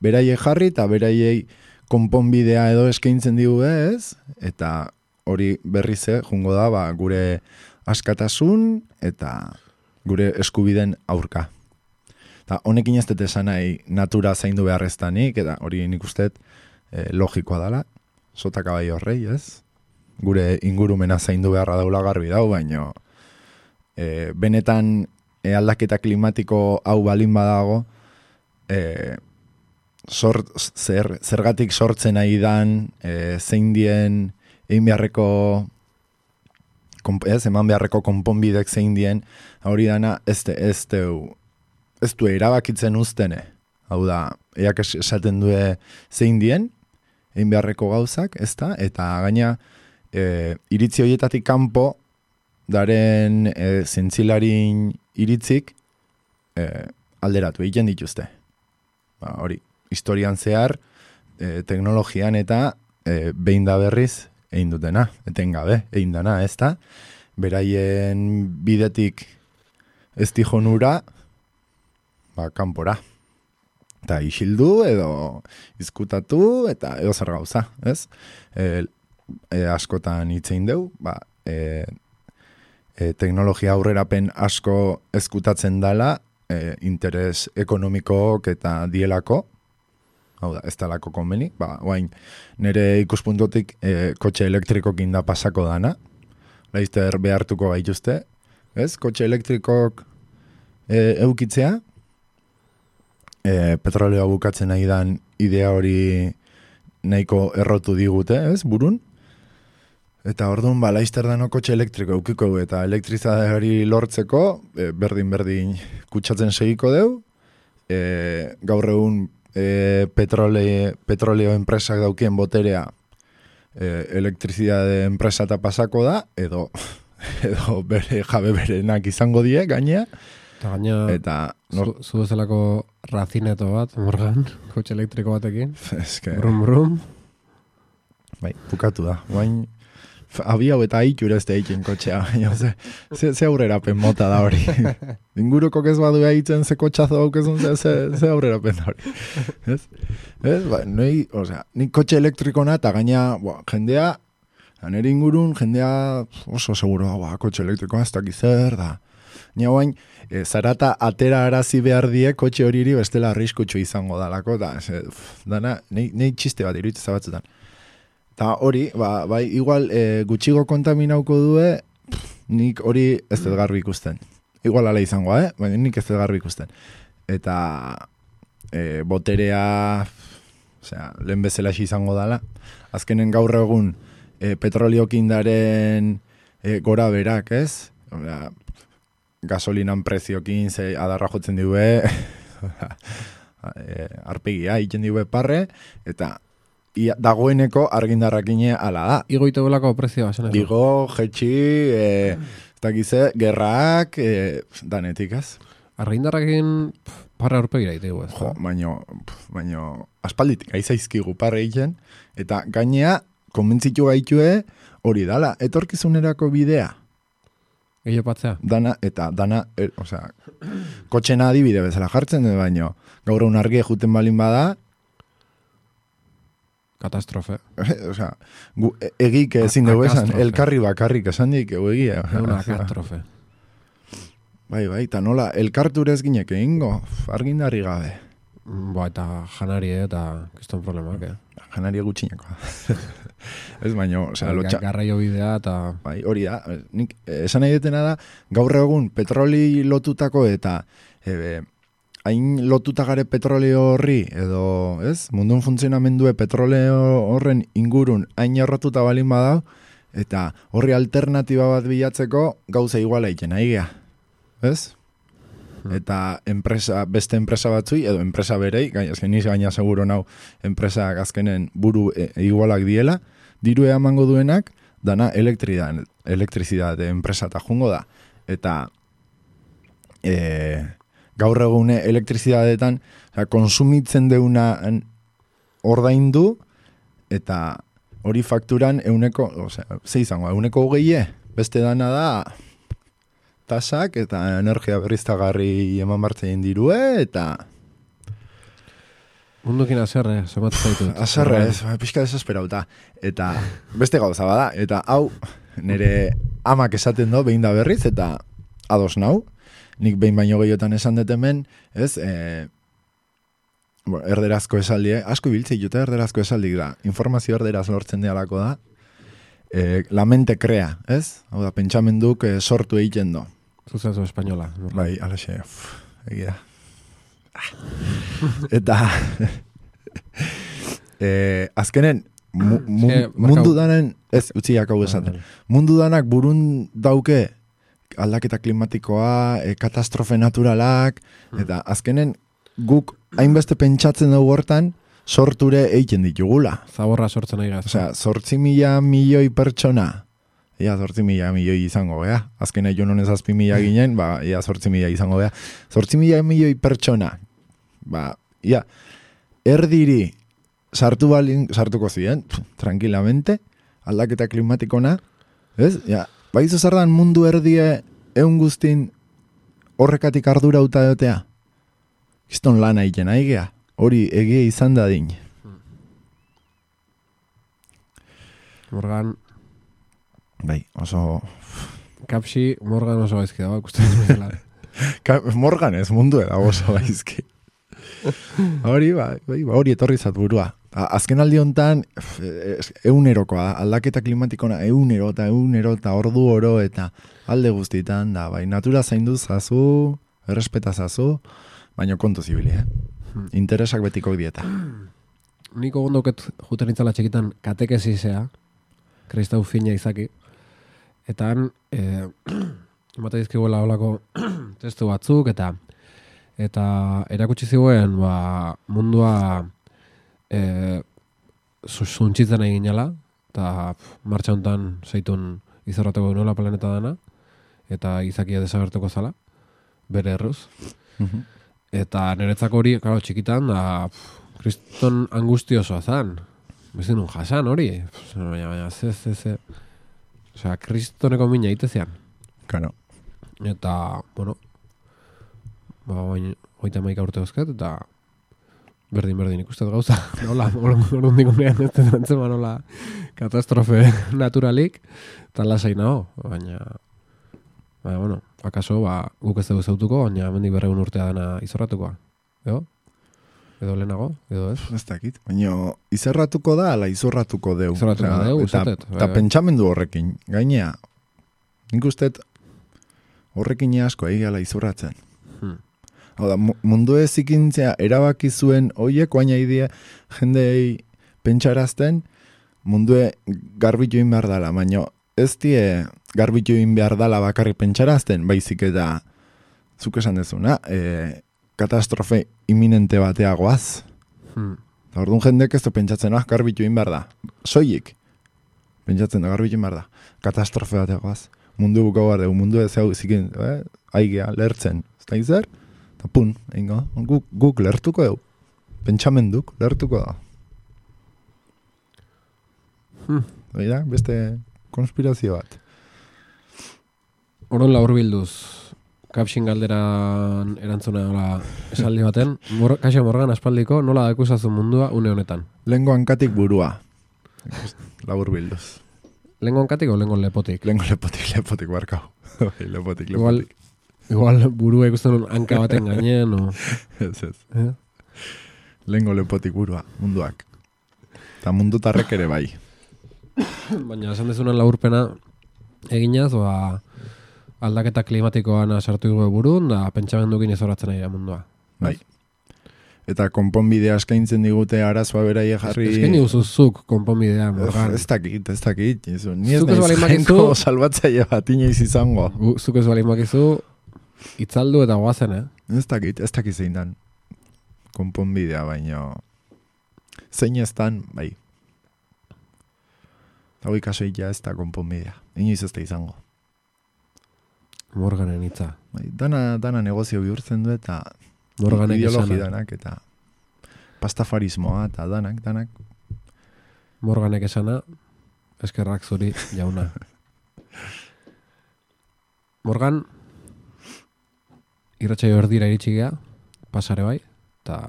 beraiei jarri, eta beraiei konponbidea edo eskaintzen digu, ez? Eta hori berrize, jungo da, ba, gure askatasun, eta gure eskubiden aurka. Eta honekin ez dut esan nahi natura zaindu beharreztanik, eta hori nik usteet e, logikoa dala, sotaka bai horrei, ez? Gure ingurumena zaindu beharra daula garbi dau, baino e, benetan e, aldaketa klimatiko hau balin badago, e, sort, zer, zergatik sortzen nahi dan, e, zein dien egin beharreko ez, eman beharreko konponbidek zein dien, hori dana ez de, ez de, ez du erabakitzen uztene. Hau da, eak esaten due zein dien, egin beharreko gauzak, ez da? Eta gaina, e, iritzi horietatik kanpo, daren e, zentzilarin iritzik e, alderatu egiten dituzte. Ba, hori, historian zehar, e, teknologian eta e, behin da berriz egin dutena, etengabe, egin dana, ez da? Beraien bidetik ez dijonura, ba, kanpora. Eta isildu edo izkutatu eta edo zer gauza, ez? E, e, askotan hitzein deu, ba, e, e, teknologia aurrerapen asko ezkutatzen dala, e, interes ekonomikook eta dielako, hau da, ez dalako konbeni, ba, oain, nire ikuspuntotik e, kotxe elektrikokin da pasako dana, Laister behartuko gaituzte, ez? Kotxe elektrikok e, eukitzea, E, petroleoa bukatzen nahi dan idea hori nahiko errotu digute, ez, burun? Eta orduan, ba, laizter dano kotxe elektriko eukiko eta elektrizade hori lortzeko, e, berdin-berdin kutsatzen segiko deu, e, gaur egun e, petrole, petroleo enpresak daukien boterea e, elektrizidade enpresa eta pasako da, edo, edo bere jabe berenak izango die, gainea. Eta gaina, eta, zu, zu bezalako razineto bat, Morgan, kotxe elektriko batekin. Eske, brum, brum. Bai, bukatu da. Bain, abi hau eta aitura ez da eiken kotxea. Ze, ze, ze aurrerapen mota da hori. Inguruko ez badu eitzen ze kotxazo daukezun, ze, ze, ze aurrerapen da hori. Ez? Ez? Ba, noi, osea, nik kotxe elektrikona eta gaina, boa, jendea, nire ingurun, jendea oso seguro, boa, kotxe elektrikoa ez dakiz zer da. Nia bain, e, zarata atera arazi behar die kotxe horiri bestela arriskutsu izango dalako, da, ze, dana, nei txiste bat iruditzen batzutan. Ta hori, ba, bai, igual e, gutxigo kontaminauko due, pff, nik hori ez dut garbi ikusten. Igual ala izangoa, eh? Baina nik ez dut garbi ikusten. Eta e, boterea, osea, lehen bezala izango dala. Azkenen gaur egun e, petroliokindaren e, gora berak, ez? Osea, gasolinan preziokin ze adarra jotzen diue, e, arpegia egiten diue parre, eta ia, dagoeneko argindarrakine ala da. Igo ite belako prezioa. Igo, jetxi, e, ez dakize, gerrak, e, danetik ez. Argindarrakin parra aurpegira itegu ez. Jo, baino, baino, aspalditik aizaizkigu parre egiten, eta gainea, konbentzitu gaitue hori dala, etorkizunerako bidea. Gehiago patzea? Dana, eta dana, er, osea, kotxena adibide bezala jartzen, baino, gaur egun argia juten balin bada, katastrofe. Osea, gu, egik ezin dugu esan, elkarri bakarrik esan dik, egu egia. Una katastrofe. Bai, bai, eta nola, elkarturez ginek egingo, argindarri gabe. Ba, eta janari eta kiston problemak, eh? Janari gutxineko. Ez baino, osea, lotxa. Garraio bidea eta... Bai, hori da, nik esan nahi detena da, gaur egun petroli lotutako eta ebe, hain lotuta gare petroleo horri, edo, ez, mundun funtzionamendue petroleo horren ingurun hain errotuta balin badau, eta horri alternatiba bat bilatzeko gauza iguala egiten, aigea, ez? Eta enpresa, beste enpresa batzui, edo enpresa berei, azken niz gaina seguro nau, enpresa azkenen buru e, igualak diela, diru emango duenak, dana elektrizidade enpresa eta jungo da. Eta e, gaur egune elektrizidadetan konsumitzen deuna ordaindu, eta hori fakturan euneko, osea, ze izango, euneko hogeie, beste dana da, tasak eta energia berriztagarri eman martzen dirue, eta... Mundukin azerre, somat zaitu. Azerre, ez, pixka desesperauta. Eta beste gauza bada, eta hau, nire amak esaten do, behin da berriz, eta ados nau, nik behin baino gehiotan esan dut hemen, ez, e, bueno, erderazko esaldi, eh? Asko ibiltzei jute erderazko esaldik da, informazio erderaz lortzen dialako da, e, la mente crea, ez? Hau da, pentsamenduk e, sortu egiten do. Zuzazu espainola. Bai, alaxe, egia. Eta eh, azkenen mu, mu, e, mundu danen, ez, utziak hau esaten, mundu danak burun dauke aldaketa klimatikoa, e, katastrofe naturalak, eta azkenen guk hainbeste pentsatzen dugu hortan, sorture egiten ditugula. Zaborra sortzen nahi gaz. Osea, zortzi mila milioi pertsona, ia zortzi mila milioi izango gea. Azken aion honez azpi mila ginen, ba, ia zortzi mila izango gea. Zortzi mila milioi pertsona, ba, ia, erdiri sartu balin, sartuko ziren, tranquilamente, aldaketa klimatikona, ez? Ja, baizu zardan mundu erdie eun guztin horrekatik ardura uta dotea. Kiston lana egiten aigea, hori egia izan dadin. Morgan... Bai, oso... Kapsi, Morgan oso gaizki dago, ikusten duzela. Morgan ez mundu eda oso gaizki. Hori, ba, hori etorri zat burua. Azken aldi honetan, eunerokoa, aldaketa klimatikona eunero eta eunero eta ordu oro eta alde guztitan, da, bai, natura zaindu zazu, errespeta zazu, baino kontu zibili, eh? Hmm. Interesak betiko dieta. Niko gondoket juten itzala txekitan katekezizea, Kristau fina izaki. Eta han, e, emate dizkiguela olako testu batzuk, eta eta erakutsi ziguen ba, mundua e, zuntxitzen egin jala, eta martxa hontan zeitun izorrateko nola planeta dana, eta izakia desagertuko zala, bere erruz. Mhm. Eta niretzako hori, claro, txikitan, da, pff, kriston angustiosoa zan. Bezin un jasan hori. Baina, baina, ze, ze, ze. Osea, kristoneko mina itezean. Claro. Eta, bueno, ba, baina, hoita maika urte dauzkat, eta berdin-berdin ikustet gauza. Nola, orun digunean, ez denantzema nola katastrofe naturalik, eta lasai nago, baina, baina, bueno, akaso, ba, guk ez dugu zautuko, baina mendik berreun urtea dana izorratukoa. Edo? Edo lehenago? Edo ez? Ez dakit. Baina izorratuko da, ala izorratuko deu. Izorratuko Osea, deu, eta, izatet. eta pentsamendu horrekin. Gainea, nik ustet horrekin asko egala izorratzen. Hmm. Hau da, mu- mundu ezikintzea erabaki zuen oiek, baina idea jendei pentsarazten mundue garbitu egin behar dala, baina ez die garbitu egin behar dala bakarrik pentsarazten, baizik eta zuk esan dezuna, e, katastrofe imminente bateagoaz. Hmm. Eta orduan jendek ez du pentsatzen, ah, garbitu egin behar da. Soilik. Pentsatzen da, garbitu egin behar da. Katastrofe bateagoaz. Mundu bukau behar dugu, mundu ez hau zikin, eh? Aigea, lertzen. Ez da izer? Eta pun, ingo, guk, guk lertuko dugu. Pentsamenduk lertuko da. Hmm. Oida, beste konspirazio bat. Oron laur bilduz, kapsin galderan erantzuna nola esaldi baten, Mor Kaixo Morgan aspaldiko nola dakusazun mundua une honetan. Lengo hankatik burua. Labur bilduz. Lengo hankatik o lengo lepotik? Lengo lepotik, lepotik, barkau. lepotik, Igual, lepotik. igual burua ikusten un hanka baten gainen, o... Ez, ez. Eh? Lengo lepotik burua, munduak. Eta mundutarrek ere bai. Baina esan dezunan laburpena eginaz, ba, aldaketa klimatikoan sartu dugu burun, da pentsamendukin ezoratzen ari da mundua. Bai. Eta konponbidea eskaintzen digute arazoa beraie jarri... Eskaini guzuzuk konponbidea, Morgan. Ez dakit, ez dakit. Jesu, ni ez Zuk ez naiz baldin jainko bakizu- salbatzaile bat inoiz izango. Gu- Zuk ez balin bakizu, itzaldu eta goazen, eh? Ez dakit, ez dakit zein dan. Konponbidea, baino... Zein ez dan, bai. Eta hoi kasoia ez da konponbidea. Inoiz ez da izango. Morganen hitza. Bai, dana, dana negozio bihurtzen du eta... Morganek ideologi esana. danak eta... Pastafarismoa eta danak, danak. Morganek esana, eskerrak zuri jauna. Morgan, irratsaio erdira iritsi gea, pasare bai, eta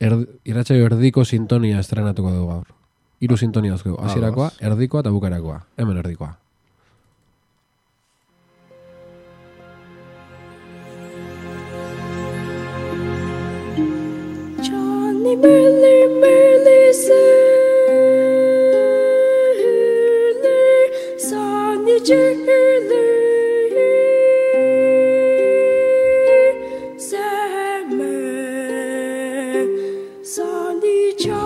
erd, irratsaio erdiko sintonia estrenatuko dugu gaur. Hiru sintonia dauzkegu, hasierakoa, Ados. erdikoa eta bukarakoa. Hemen erdikoa. Johnny Merle, Merle, Surly, Sonny Jurly, Salmon, Sonny Charlie,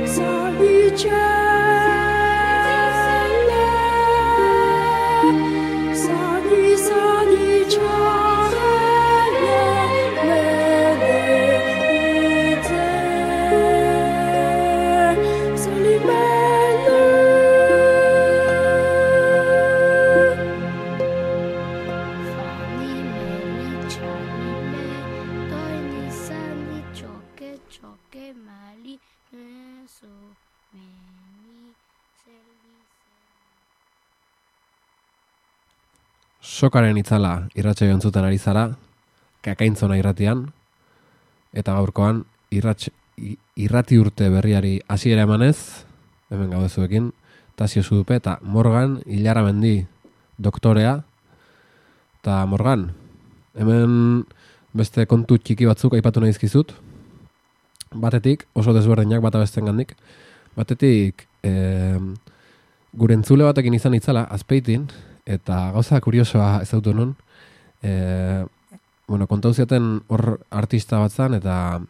Sonny Charlie, Sonny, Sonny Charlie, Sonny Fanny, Mary, Charlie, May, Tony, Sandy, Choque, Choque, Mali, Meso, Meni, Selvi, Sokaren itzala irratsaio entzuten ari zara, kakaintzona irratian, eta gaurkoan irrats, i- irrati urte berriari hasiera emanez, hemen gaudezuekin, Tasio Zudupe eta Morgan Ilarramendi doktorea. Eta Morgan, hemen beste kontu txiki batzuk aipatu nahi dizkizut. Batetik, oso desberdinak bata bestengandik. Batetik, eh, gure entzule batekin izan itzala, Azpeitin, eta gauza kuriosoa ezautu nun. Eh, bueno, kontau ziaten hor artista bat zan, eta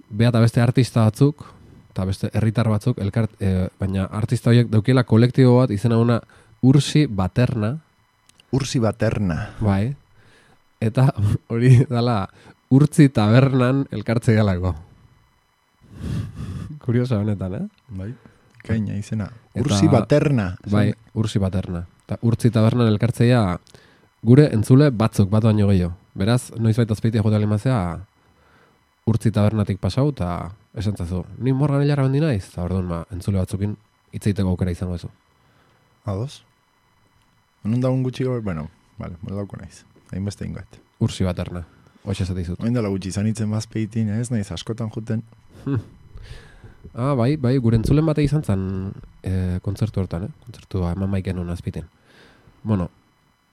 bea eta beste artista batzuk, eta beste herritar batzuk, elkart, e, baina artista horiek daukiela kolektibo bat, izena una Ursi Baterna. Ursi Baterna. Bai. Eta hori dala Urtzi Tabernan elkartze galako. Kuriosa honetan, eh? Bai. Kaina izena. Eta- Ursi Baterna. Bai, Ursi Baterna. Eta Urtzi Tabernan elkartzeia gure entzule batzuk, bat baino gehiago. Beraz, noizbait azpeitia jota limazea Urtzi Tabernatik pasau, eta esan zazu, ni Morgan Hilara bendi naiz, eta orduan, ba, entzule batzukin hitzeiteko aukera izango ezu. Ados. Nun da un gutxi gaur, bueno, vale, moldauko naiz. Hainbeste ingoet. Ursi Baterna. Hoxe esate izut. Oin dela gutxi zanitzen bazpeitin, ez naiz askotan juten. Ah, bai, bai, gure entzulen bate izan zen e, kontzertu hortan, eh? Kontzertua eman maiken hona azpiten. Bueno,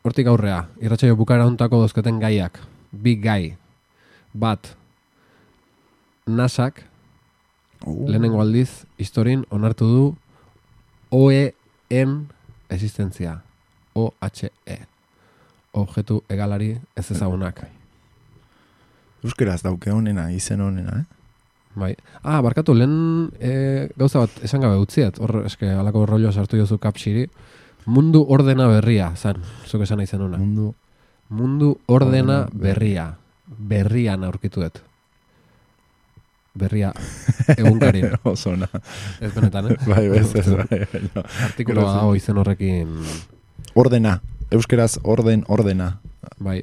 hortik aurrea, irratsaio bukara hontako dozketen gaiak. Bi gai. Bat, nasak, Uh. lehenengo aldiz, historin onartu du O E en existentzia. O H E. Objektu egalari ez ezagunak. Euskeraz dauke honena, izen honena, eh? Bai. Ah, barkatu, lehen e, gauza bat esan gabe utziet. Hor, eske, alako rolloa sartu jozu kapsiri. Mundu ordena berria, zan. Zuk esan nahi zenuna. Mundu. Mundu ordena Ordena berria. Berrian aurkituet. Berria egunkarin. Oso ona. Ez benetan, eh? Bai, bez, ez, bai, bai, no. Artikuloa dago izen horrekin, Ordena. Euskeraz orden, ordena. bai.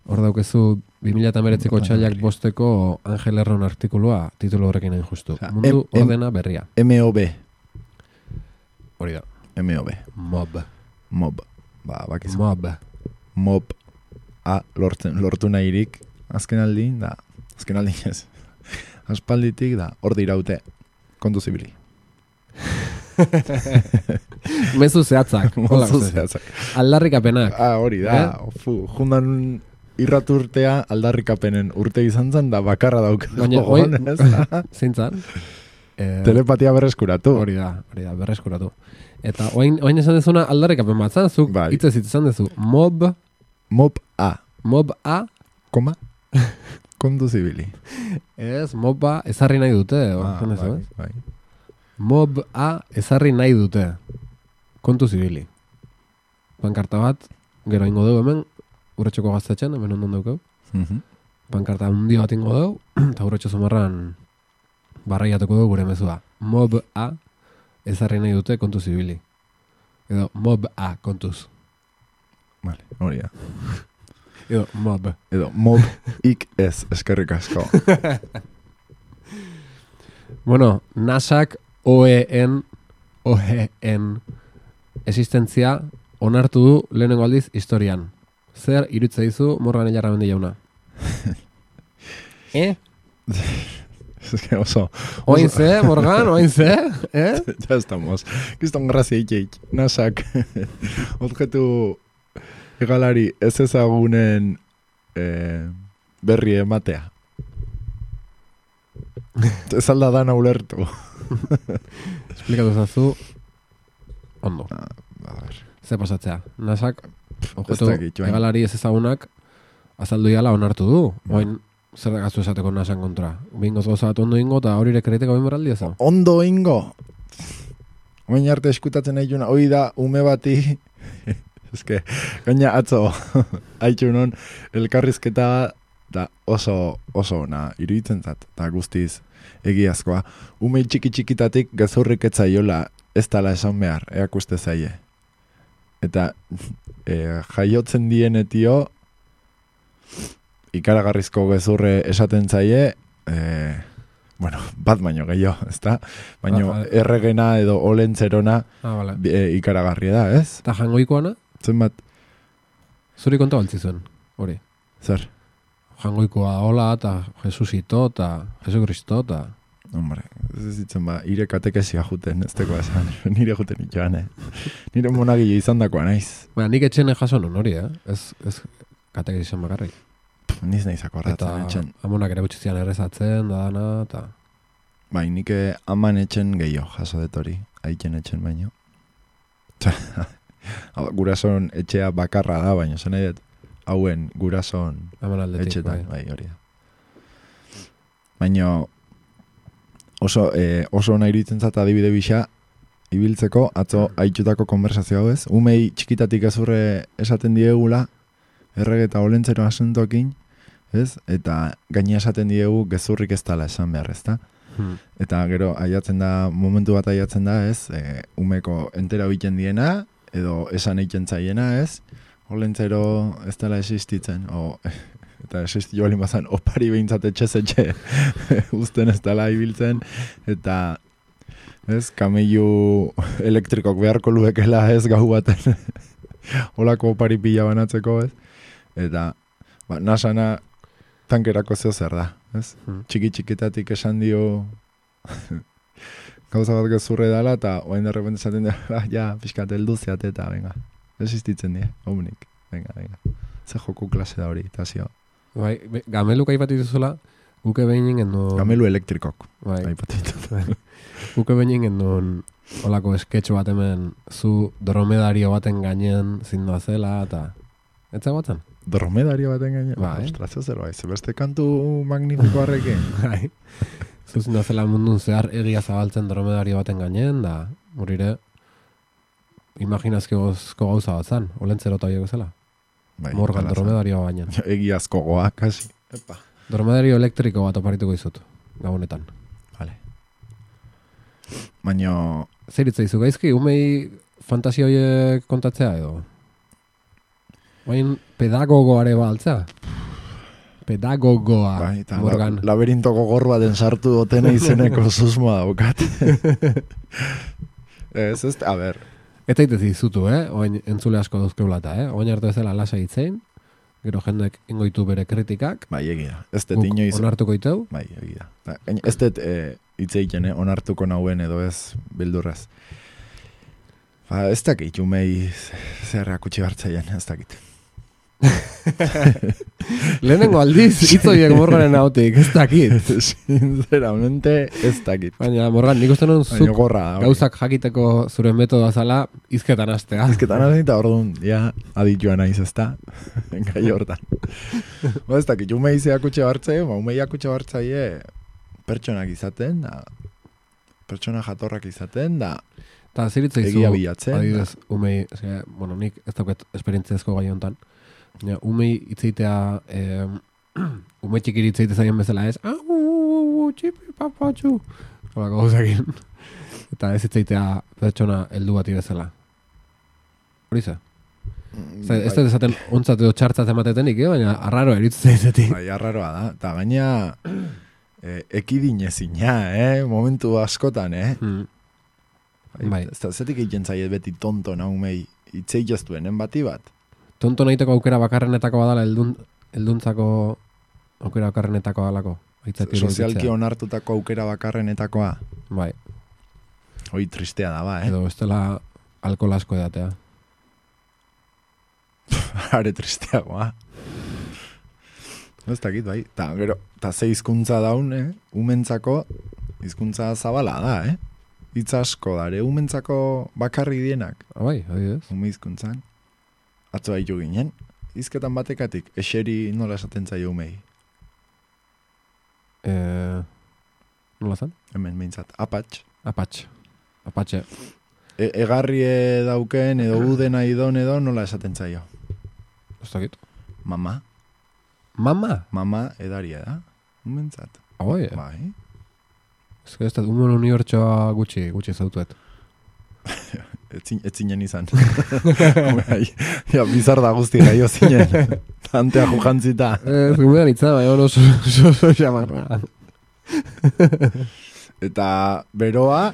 Hor daukezu bi mila hemeretziko txailak bosteko Angel Erron artikulua titulu horrekin hain justu. Osea, Mundu em- em- ordena berria. M O B. Hori da. M O B. Mob. Mob. Ba, bakizu. Mob. Mob. A, lortzen, lortu nahirik. Azken aldi, da. Azken aldi ez. Aspalditik, da. Hor diraute. Kontu zibili. Mezu zehatzak. Hola, Mozu uste. zehatzak. Aldarrikapenak. Ah, hori da. Fu, jundan irraturtea aldarrikapenen urte izan zen, da bakarra dauk. Baina, oi- Zintzan. Eh, Telepatia berreskuratu. Hori da, hori da, berreskuratu. Eta oain, oain esan dezuna aldarrikapen bat, zan? Zuk Bai. hitzez hitz esan dezu. Mob, Mob A. mob A, Koma. Kontu zibili. ez, mob A ezarri nahi dute. Ah, Ah, bai, bai. Mob A ezarri nahi dute. Kontu zibili. Pankarta bat, gero ingo dugu hemen, urretxoko gaztetxen, hemen ondon daukau. Mhm. Pankarta hundi bat ingo dugu, eta urretxo zumarran barraiatuko dugu gure mezua. Mob A ezarri nahi dute kontu zibili. Edo mob A kontuz. Vale, hori da. Edo mob. Edo, mob ik ez, eskerrik asko. Bueno, nasak O E en O E en existentzia onartu du lehenengo aldiz historian. Zer irutze dizu Morgan Hilara bendi jauna? eh? Es que oso... Oain ze, Morgan, oain ze? Eh? Ya estamos. Kiston grazia ikeik. Nasak. Objektu egalari ez ezagunen eh, berri ematea. Ez alda dana ulertu. Esplikatu zazu ondo. A ver. Ze pasatzea? Nasak, objektu Ez dakit, joan. egalari ez ezagunak azaldu iala onartu du. Oain, zer da gazu esateko nasan kontra. Bingoz gauza bat ondo ingo eta hori ere kreteko binberaldi ez da. Ondo ingo. Oin arte eskutatzen nahi juna. Hoi da, ume bati... Eske, gaina atzo haitxunon elkarrizketa da oso oso ona iruditzen zat, eta guztiz egiazkoa. Ume txiki txikitatik gezurrik etzaiola ez tala esan behar, eakuste zaie. Eta e, jaiotzen dienetio ikaragarrizko gezurre esaten zaie, e, bueno, bat baino gehiago, ezta? Baino Ah, ah. erregena edo olentzerona Ah, bale. e, ikaragarria da, ez? Eta jangoikoana, Zenbat, zuri konta baltzi zuen, hori. zer? Jangoikoa hola, eta Jesusito, eta Jesu Kristo, eta... Hombre, ez ditzen ba, ire katekesia juten, ez teko esan, nire juten itxoan, eh? Nire monagile izan dakoa naiz. Baina nik etxene jaso nun hori, eh? Ez, ez katek izan bakarrik. Pff, Niz nahiz akordatzen Eta etxen. amonak ere gutxizian errezatzen, da dana, eta... Bai, nik aman etxen gehiago jaso dut hori, aitzen etxen baino. Hau, gurason etxea bakarra da, baina zen nahi dut, hauen gurason Aman aldetik, etxetan, bai. bai, hori da. Baina, oso, eh, oso nahi iruditzen zat adibide bisa, ibiltzeko, atzo haitutako konversazio hau ez. Umei txikitatik ezurre esaten diegula, errege eta olentzero asuntokin, ez? Eta gaina esaten diegu gezurrik ez dala esan behar, ez da? Hmm. Eta gero aiatzen da, momentu bat aiatzen da, ez? E, umeko entera egiten diena, edo esan egiten zaiena, ez? Olentzero ez dela existitzen, o... Eta existi joalin bazan, opari behintzat etxe-zetxe uzten ez dela ibiltzen, eta ez, kamellu elektrikok beharko luekela ez gau baten holako opari pila banatzeko, ez? Eta, ba, nasana tankerako zeo zer da, ez? Hmm. Txiki-txikitatik esan dio gauza bat gezurre dala, eta oain de repente esaten da, ah, ja, pixkat heldu zeate, eta venga, existitzen die, homunik, venga, venga. Ze joku klase da hori, eta zio. Bai, be- gameluk aipatu dituzula, guke behin genuen... Gamelu elektrikok, Bai, aipatitu. guke behin genuen olako esketxo bat hemen zu dromedario baten gainen zindoa zela, eta... Ez zegoatzen? Dromedario baten gaine. Bai. Ostras, ez zer bai, beste kantu magnifiko harrekin. Bai. Zu zindoa zela mundun zehar egia zabaltzen dromedario baten gainen, da, urire, imaginazkiozko gauza bat zan, olentzero eta horiek bezala. Bai, Morgan hala zen. dromedario baina. Egiazko goa, kasi. Epa. Dromedario elektriko bat oparituko izut, gabonetan. Vale. Baina, Zer itzaizu gaizki, umei fantasia horiek kontatzea edo? Bain pedagogoare baltza? Pedagogoa, bai, eta Morgan. la, laberinto gogor baten sartu dotena izeneko susmoa daukat. ez, ez, a ber, Eta itez izutu, eh? Oain entzule asko dauzkeulata, eh? Oain arte bezala lasa hitzein, gero jendek ingoitu bere kritikak, bai, egia. Ez dut guk inoiz, onartuko iteu, bai, egia. Ta, gain- ez dut e, hitz egiten, eh, onartuko nauen edo ez bildurraz. Ba, ez dakit, umei zer akutsi hartzaien, ez dakit. lehenengo aldiz hitzoiek Morganen hautik, ez dakit. Sinceramente, ez dakit. Baina, Morgan, nik uste non Baina zuk gorra da. hori. gauzak jakiteko zure metodoa zala izketan astea. Ezketan hasi eta orduan, ja, aditua naiz ezta, gai hortan. Ba, ez dakit, umei zeakutxe hartzaie, ba, umei akutxe hartzaie pertsonak izaten, da, pertsona jatorrak izaten, da, Eta ziritza izu, egia bilatzen. adibidez, umei, eske, bueno, nik ez daukat esperientziazko gai hontan, baina umei itzeitea, eh, umei txikiri itzeite zaien bezala ez, au, au, au, txipi papatxu, holako gauzakin. Eta ez itzeitea pertsona heldu bati bezala. Hori ze? Zer, ez dut esaten ontzat edo txartzat ematetenik, eh? Baina arraro eritzu zaizetik. Bai, arraroa da, eta gaina e, ekidinezina, eh, momentu askotan, eh. Hmm. Bai. Ez da, zetik egiten zaiet beti tonto naumei itzei jaztuenen bati bat. Tonto nahiteko aukera bakarrenetako badala eldun, elduntzako aukera bakarrenetako badalako. Aitzaki hori Sozialki betetzea. onartutako aukera bakarrenetakoa. Bai, Hoi tristea da, ba, eh. edo ez dela alkohol asko edatea. Are tristeagoa. Ez dakit, bai. Ta, gero, ta ze hizkuntza daun, eh? Umentzako hizkuntza zabala da, eh? Hitz asko dare, umentzako bakarri dienak, Ah, bai, adibidez. ume hizkuntzan. Atzo haitu ginen, hizketan batekatik, eseri nola esaten zaio umei. Eh, nola zan? Hemen behintzat, apatx. Apatx. Apatxe. E, egarrie dauken edo udena idon edo nola esaten zaio. Ez dakit. Mama, Mama? mama edaria da, umentzat. Ah, bai. Bai. Ez que ez da, umon unibertsoa gutxi, gutxi zautuet. Etzin, etzinen izan. Bai, ja, bizar da guzti gaio zinen. Tantea jujantzita. Ez, gumean itza, bai, oso, oso, oso xamarra. Eta beroa,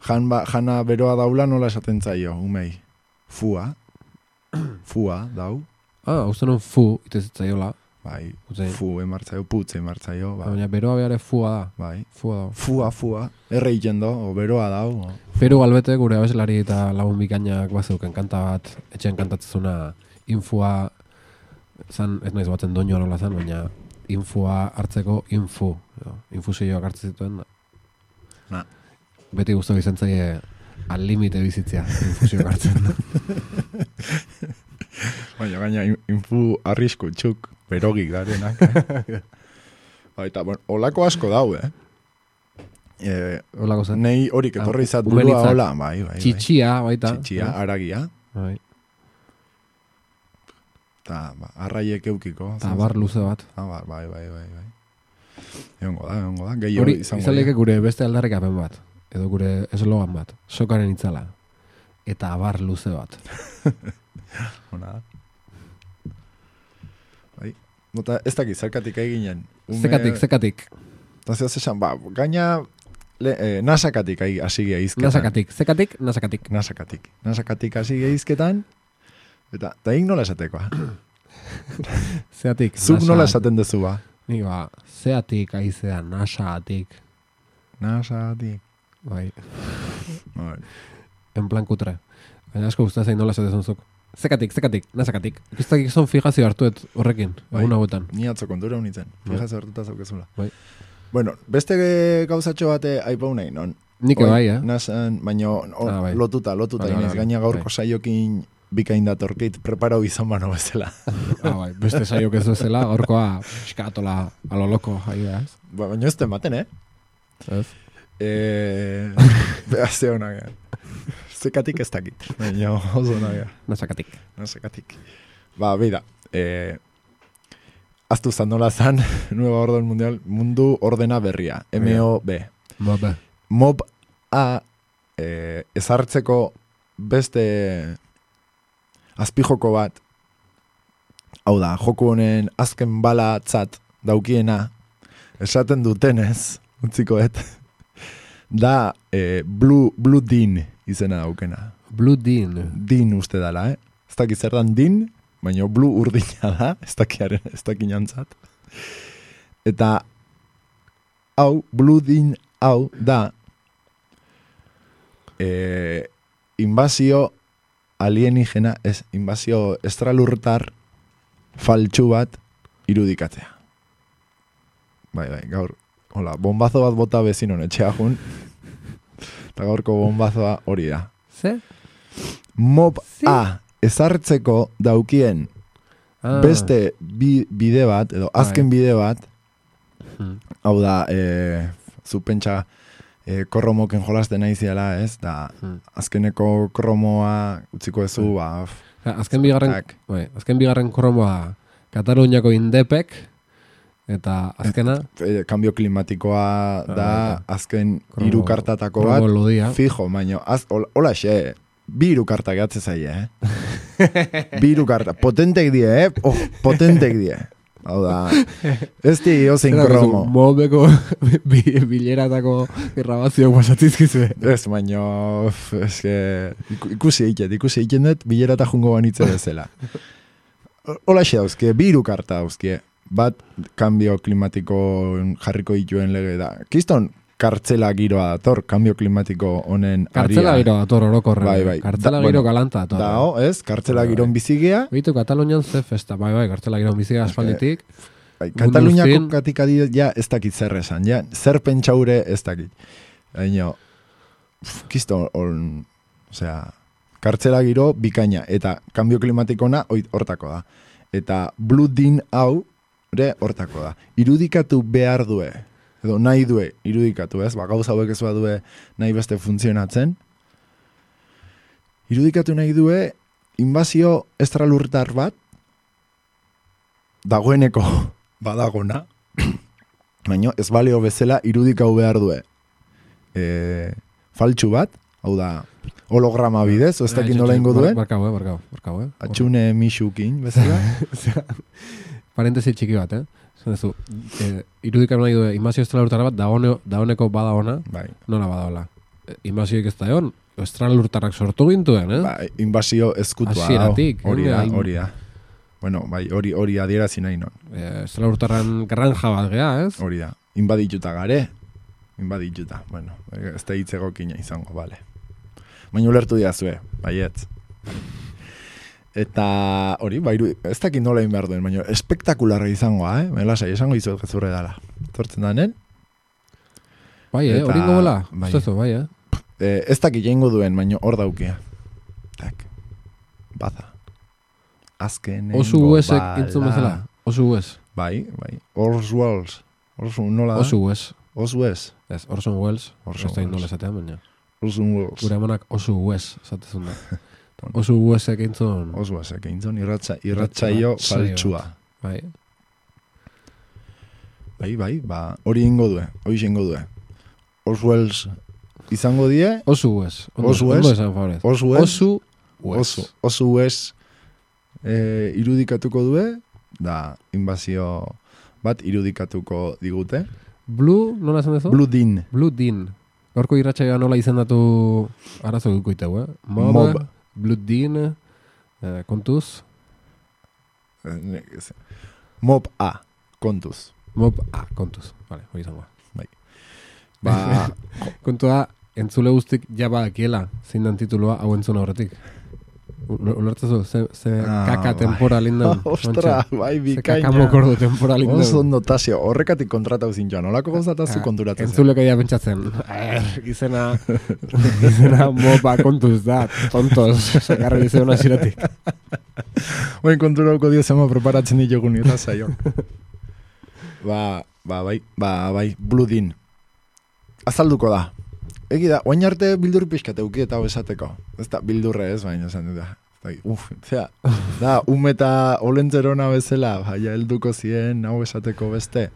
jan ba, jana beroa daula nola esaten zaio, umei. Fua. Fua, dau. Ah, uste non fu, itezitzaiola. Bai, Utzein. fu emartzaio, putze emartzaio, bai. Baina beroa behare fua da. Bai. Fua da. Fua, fua, erre iten do, o beroa dau. O. Peru Galbete gure abeslari eta lagun bikainak bazeuken kanta bat, etxean kantatzezuna infua, zan, ez naiz batzen doinua nola zan, baina infua hartzeko infu. Jo, infusioak hartzen zituen. Da. Na. Beti guztu izan zaie al limite bizitzea, infusioak hartzen. Baina gaina in- infu arrisku txuk, berogik garenak. Eh? Baita, bueno, olako asko dau, eh? Eh, Olako zen. nei horik etorri izat burua, Umenitzak. hola, bai, bai, bai. Txitxia, baita. Txitxia, aragia. Bai. Eta, ba, arraiek eukiko. Eta bar luze bat. Ah, bai, bai, bai, bai, bai. Egongo da, egongo da. Gehiago Hori, izango izan leke dira. gure beste aldarrikapen bat. Edo gure eslogan bat. Sokaren itzala. Eta bar luze bat. Ona da. Bai. Nota, ez dakit, zerkatik eginen. Zekatik, zekatik. Eta zehaz esan, ba, gaina le, eh, nasakatik hasi geizketan. Nasakatik, zekatik, nasakatik. Nasakatik. Nasakatik hasi geizketan. Eta, eta hik nola esatekoa. Zeatik, Zuk nola nasa- esaten dezu ba. Ni ba, zeatik aizea, nasaatik. Nasakatik. Bai, Bai. en plan kutre. Baina asko gustatzen nola esaten zuk. Zekatik, zekatik, nasakatik. Ikistak ikizon fijazio hartuet horrekin, Bai. egun hauetan. Ni atzo kontura unitzen. Bai. Fijaz hartuta zaukezula. Bai. Bueno, beste gauzatxo bate aipau nahi, non? Nik Oi, bai, eh? Nasan, baina o- Ah, bai. lotuta, lotuta. Vale, Inez, vale, gaina gaurko bai. saiokin bikain datorkit, preparau izan bano bezala. Ah, bai, beste saiok ez bezala, gaurkoa eskatola alo loko, ahi da, ez? Ba, baina ez tematen, eh? Ez? Eh, Behazte honak, eh? Zekatik ez dakit. Baina oso honak, eh? Nasakatik. Zekatik. Ba, beida. Eh, aztu zan nola zan, Nueva Orden Mundial, mundu ordena berria. M O B. Mobe. Mob A eh, ezartzeko beste azpijoko bat, hau da, joku honen azken balatzat daukiena, esaten dutenez, utzikoet, da eh, Blue, Blue Dean izena daukena. Blue Dean. Din uste dala, eh? Ez dakit zer dan din, baina Blue urdina da, ez dakiaren, ez dakinantzat. Eta hau, Blue Dean hau da eh, invasio alienigena, ez, invasio estralurtar faltsu bat irudikatzea. Bai, bai, gaur, hola, bombazo bat bota bezinon etxea jun, eta gaurko bombazoa hori da. Ze? Mob Sí. A ezartzeko daukien Ah. beste bi, bide bat, edo azken bide bat, Hmm. hau da, e, zu pentsa e, korromoken jolasten naiziela, ez? Da, Hmm. azkeneko kromoa utziko ezu, ba, f- Ja, azken bigarren, tak. bai, azken bigarren kromoa Kataluniako indepek, eta azkena, e, kambio klimatikoa da, baita. azken Kromo- hiru kartatako bat, kromo lodia. fijo, baino, az, hol- hola xe, bi hiru karta gehatze zaie, eh? Bi hiru karta, potentek die, eh? Oh, potentek die. Hau da, ez di ozein Zera, kromo. Mobeko bi- bileratako grabazioak pasatzizkizue. Ez, baino, f, ez que, iku- ikusi eiket, ikusi eiket dut, bilera eta jungo banitze bezala. Hola xe dauzkie, bi hiru karta dauzkie, bat kambio klimatiko jarriko dituen lege da. Kiston, kartzela giroa dator, kambio klimatiko honen Kartzela aria. giro dator orokorren. Bai, bai. Kartzela Da- giro bueno, galanta dator. Dao, ez, kartzela Bai, bai. giron bizigea, Bitu, Katalunian ze festa, bai, bai, kartzela giro bizia aspalditik. bai, mundu Kataluniako guztien- katik adi, ja, ez dakit zer esan, ja, zer pentsaure ez dakit. Baina, pf, kisto, on, osea, kartzela giro bikaina, eta kambio klimatikona hoi- hortako da. Eta Blue Dean hau, ere hortako da. Irudikatu behar due, edo nahi due, irudikatu, ez? Ba, gauza hauek ez badue nahi beste funtzionatzen. Irudikatu nahi due, invasio estralurtar bat, dagoeneko badagona, baina ez baleo bezala irudikau behar due. E, faltsu bat, hau da, holograma bidez, ez dakit nola ingo duen, Barkau, eh, barkau, barkau, eh. atxune mixukin bezala. Osea, parentesi txiki bat, eh. Zan duzu, eh, irudikatu nahi du, invasio estralurtar bat, daone, daoneko bada ona, Bai, nola badaola. Eh, Invasioik ez da egon, estralurtarrak sortu gintuen, eh? bai, invasio eskutua. Hasieratik, hau. Hori da, hain- hori da. Bueno, bai, hori hori adierazi nahi non. Eh, estralurtarran granja bat gea, ez? Hori da. Inbadituta gare. Inbadituta. Bueno, ez da hitz egokina izango, bale. Baina ulertu diazue, baietz. Eta hori, bairu, ez dakit nola egin behar duen, baina espektakularra izangoa, eh? Melasai, esango izuet gezurre dala. Tortzen danen, Bai, eh, Eta- hori gola, bai. ustezu, bai, eh? eh, ez dakit jengo duen, baina hor daukia. Tak, baza. Azkenengo Osu uesek bala. intzun bezala, osu ues, Bai, bai. Oswalds. Osu, nola da? osu ues. Osu ez. Ez, Orson Welles, Orson ez da indola Welles. esatean, baina. Orson Welles. Gure amonak oso Wes, esatezun da. Oso Wesek eintzun, Oso esek, eintzon irratza, irratzaio Irratzaio faltsua. bai. Bai, bai, ba, hori ingo due, hori ingo due. Oswells izango die, Oso Wes. Ondo, Oso Wes. ondo esan favorez. Oso Wes. Oso Wes. oso, oso Wes eh, irudikatuko due, da invazio bat irudikatuko digute. Blue, nola esan dezu? Blue Dean. Blue Dean. Gaurko irratsaioa nola izendatu arazo gukoiteu, eh? Mob, Mob. Blue Dean, eh, kontuz, Eh, ne- ez- Mob A, kontuz. Mob, ah, kontuz. Vale, hori izango. Ba, Kontua, entzule guztik jaba akiela, zein dan titulua hau entzun horretik. Ulertzezu, ze, ze Ah, kaka bai. temporal inden. ostra, bai, Ze bikaina. kaka mokordo temporal inden. Oso notazio, horrekatik kontratau zintxoan, olako gauzatazu konturatzen zen. Entzuleko ja pentsatzen, er, izena, izena moba kontuz da, tontos, sakarri izena ziretik. Oin konturauko dio zema preparatzen ditugun eta zaio. ba, ba, bai, ba, bai, Blue Dean. Azalduko da. Egi da, oain arte bildur pixkat euki eta hau esateko. Ez da, bildurre ez, baina esan dut da. Uf, zera, da, ume eta olentzerona bezala, baina helduko zien hau esateko beste.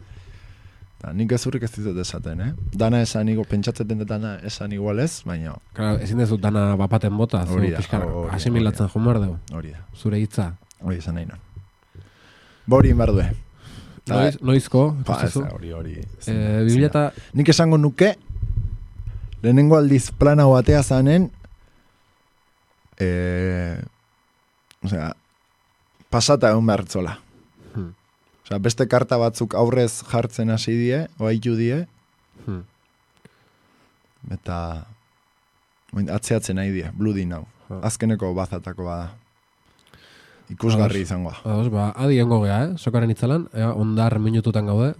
Da, nik ezurrik ez ditut esaten, eh? Dana esan igo, pentsatzeten dut dana esan igualez, baina Claro, ezin dezu dana bapaten bota, zu Hori da, pixka hori da, asimilatzen joan behar dugu, hori da. zure hitza. Hori esan nahi non. Bori inbar due. Ta- Noiz, noizko, Pa, ez, ikustezu? hori, hori. Eh, Biblia eta Nik esango nuke, lehenengo aldiz plana batea zanen, eh, osea, pasata egon behartzola. Hmm. Osea, beste karta batzuk aurrez jartzen hasi die, oaitu die, Hmm. eta oin, atzeatzen nahi die, Blue Dean hau. Ha. Azkeneko bazatako bada. Ikusgarri Ados. izangoa. Ados, ba, adi engo gea, eh? Sokaren itzalan, ea, ondar minututan gaude.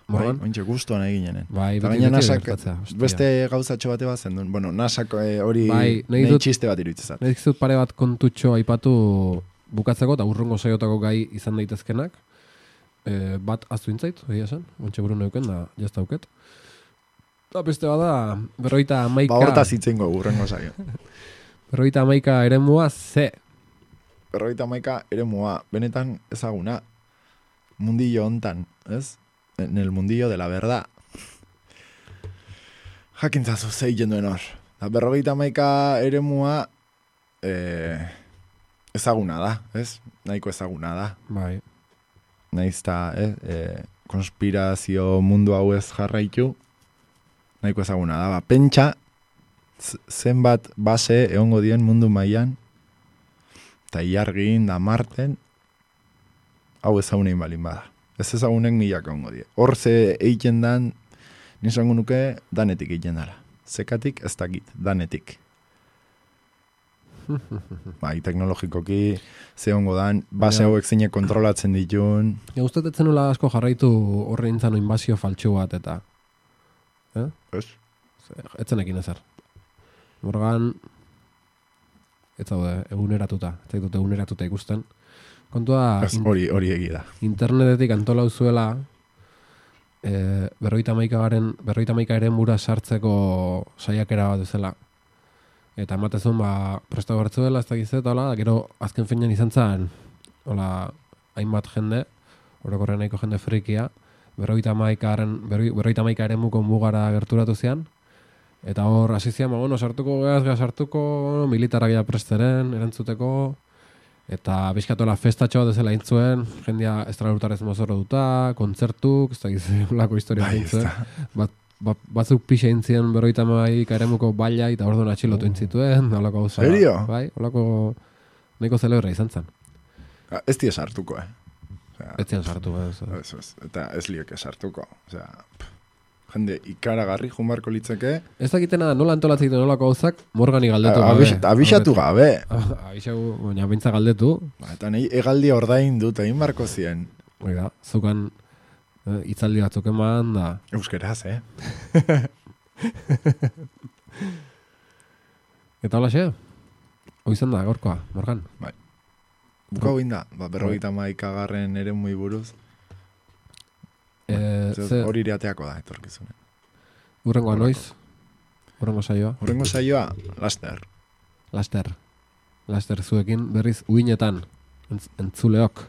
Bai, Morgan? ointxe gustuan egin jenen. Bai, Eta beti gaina beti nasak, gertatzea, hostia. beste gauzatxo bate bat zen duen. Bueno, nasak eh, hori Bai, nahi nahi dut- txiste bat iruditzezat. Nahiz dut pare bat kontutxo aipatu bukatzeko, eta urrungo saiotako gai izan daitezkenak. E, bat aztu intzait, egia esan, ontxe buru neuken, da jazta auket. Eta beste bada, berroita amaika, Ba, hortaz itzengo urrengo saio. berroita amaika eremua ze. Berrogeita hamaika eremua, benetan ezaguna, mundillo hontan, ez? En el mundillo de la verdad. Jakintzazu zei jenduen hor. Da, berrogeita hamaika eremua eh, ezaguna da, ez? Nahiko ezaguna da. Bai, Naizta, eh, eh, konspirazio mundu hau ez jarraitu, nahiko ezaguna da. Ba, pentsa, z- zenbat base egongo dien mundu mailan, eta iargin da marten, hau ezagunein balin bada. Ez ezagunek milak egongo die. Hor ze egiten dan, nizango nuke, danetik egiten dara. Zekatik ez dakit, danetik. Bai, teknologikoki ze ongo dan, base Ja. hauek zeinek kontrolatzen ditun. ja, ustetetzen nula asko jarraitu horre intzan inbazio faltxu bat, eta Ez? etzenekin ezer. Morgan, ez zaude, eguneratuta, ez zaitut eguneratuta ikusten. Kontua, Ez, hori, hori egi da. internetetik antolau zuela, e, berroita maikagaren, berroita maika ere mura sartzeko saiakera bat ezela. Eta ematezun, ba, presta bertzuela, ez dakiz eta hola, gero azken finean izan zen, hola, hainbat jende, orokorren nahiko jende frikia, berroita maikaren, berroita maika ere muko mugara gerturatu zian, eta hor, hasi zian, ba, bueno, sartuko geaz, geaz sartuko, militarak ja presteren, erantzuteko, eta bizkatola festatxo bat ezela intzuen, jendia estralutarez mozorro duta, kontzertuk, ez da gizu lako historia Bai, ez intzuen. da. Bat, bat, batzuk pixe intzien berroita maik eremuko baila, eta orduan atxilotu intzituen, holako gauza. Serio? Bai, holako nahiko zelebra izan zen. Ah, Ez die sartuko, eh? Osea, Ez zian sartu, ez. ez, ez, eta ez lieke sartuko. Osea, pff, jende ikaragarri jumarko litzeke, Ez dakitena nola antolatzen ditu nolako gauzak, Morgani galdetu a- abis- abisatu gabe. Abixatu, baina bintza galdetu, Ba, eta nahi egaldi ordain dut egin barko zien. hori da, zukan eh, hitzaldi batzuk eman, da, Euskeraz, eh? eta hola xe, hoizan da, gaurkoa, Morgan. Buka hoin da, ba, berrogeita maikagarren ere muy buruz. Eh, Zer, ze, Hori irateako da, etorkizunen. Urrengoa noiz? Urrengo saioa? Urrengo saioa, laster. Laster. Laster zuekin berriz uinetan entz, entzuleok.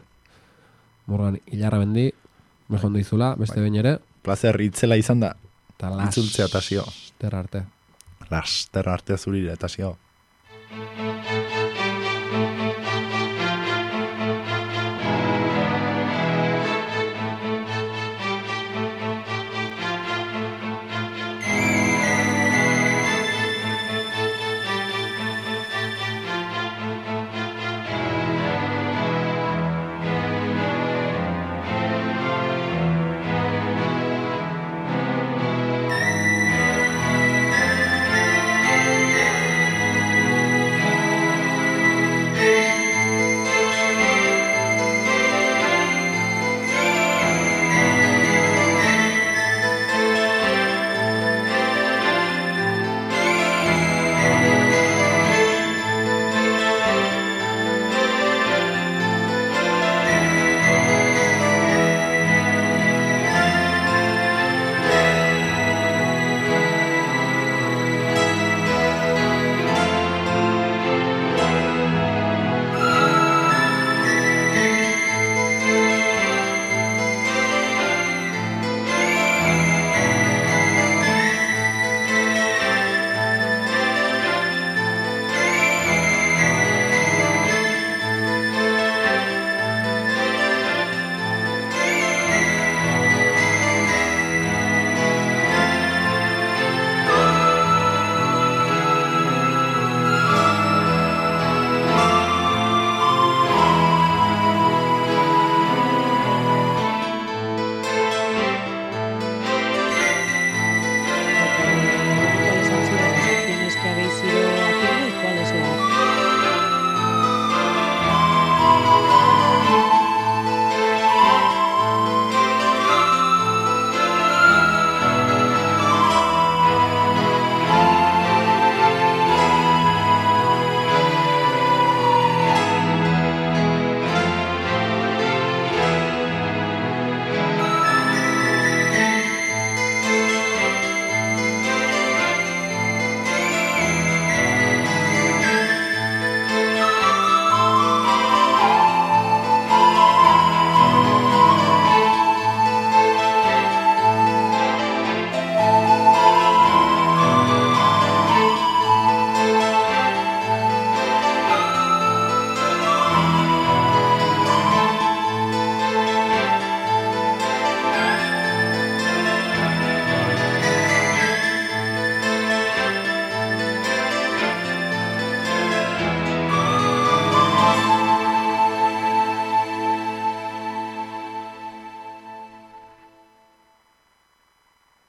Morgan Ilarra bendi, mejondo izula, beste behin ere. Plazer itzela izan da. Eta Itzultzea eta zio. laster arte. Laster arte zurire eta zio.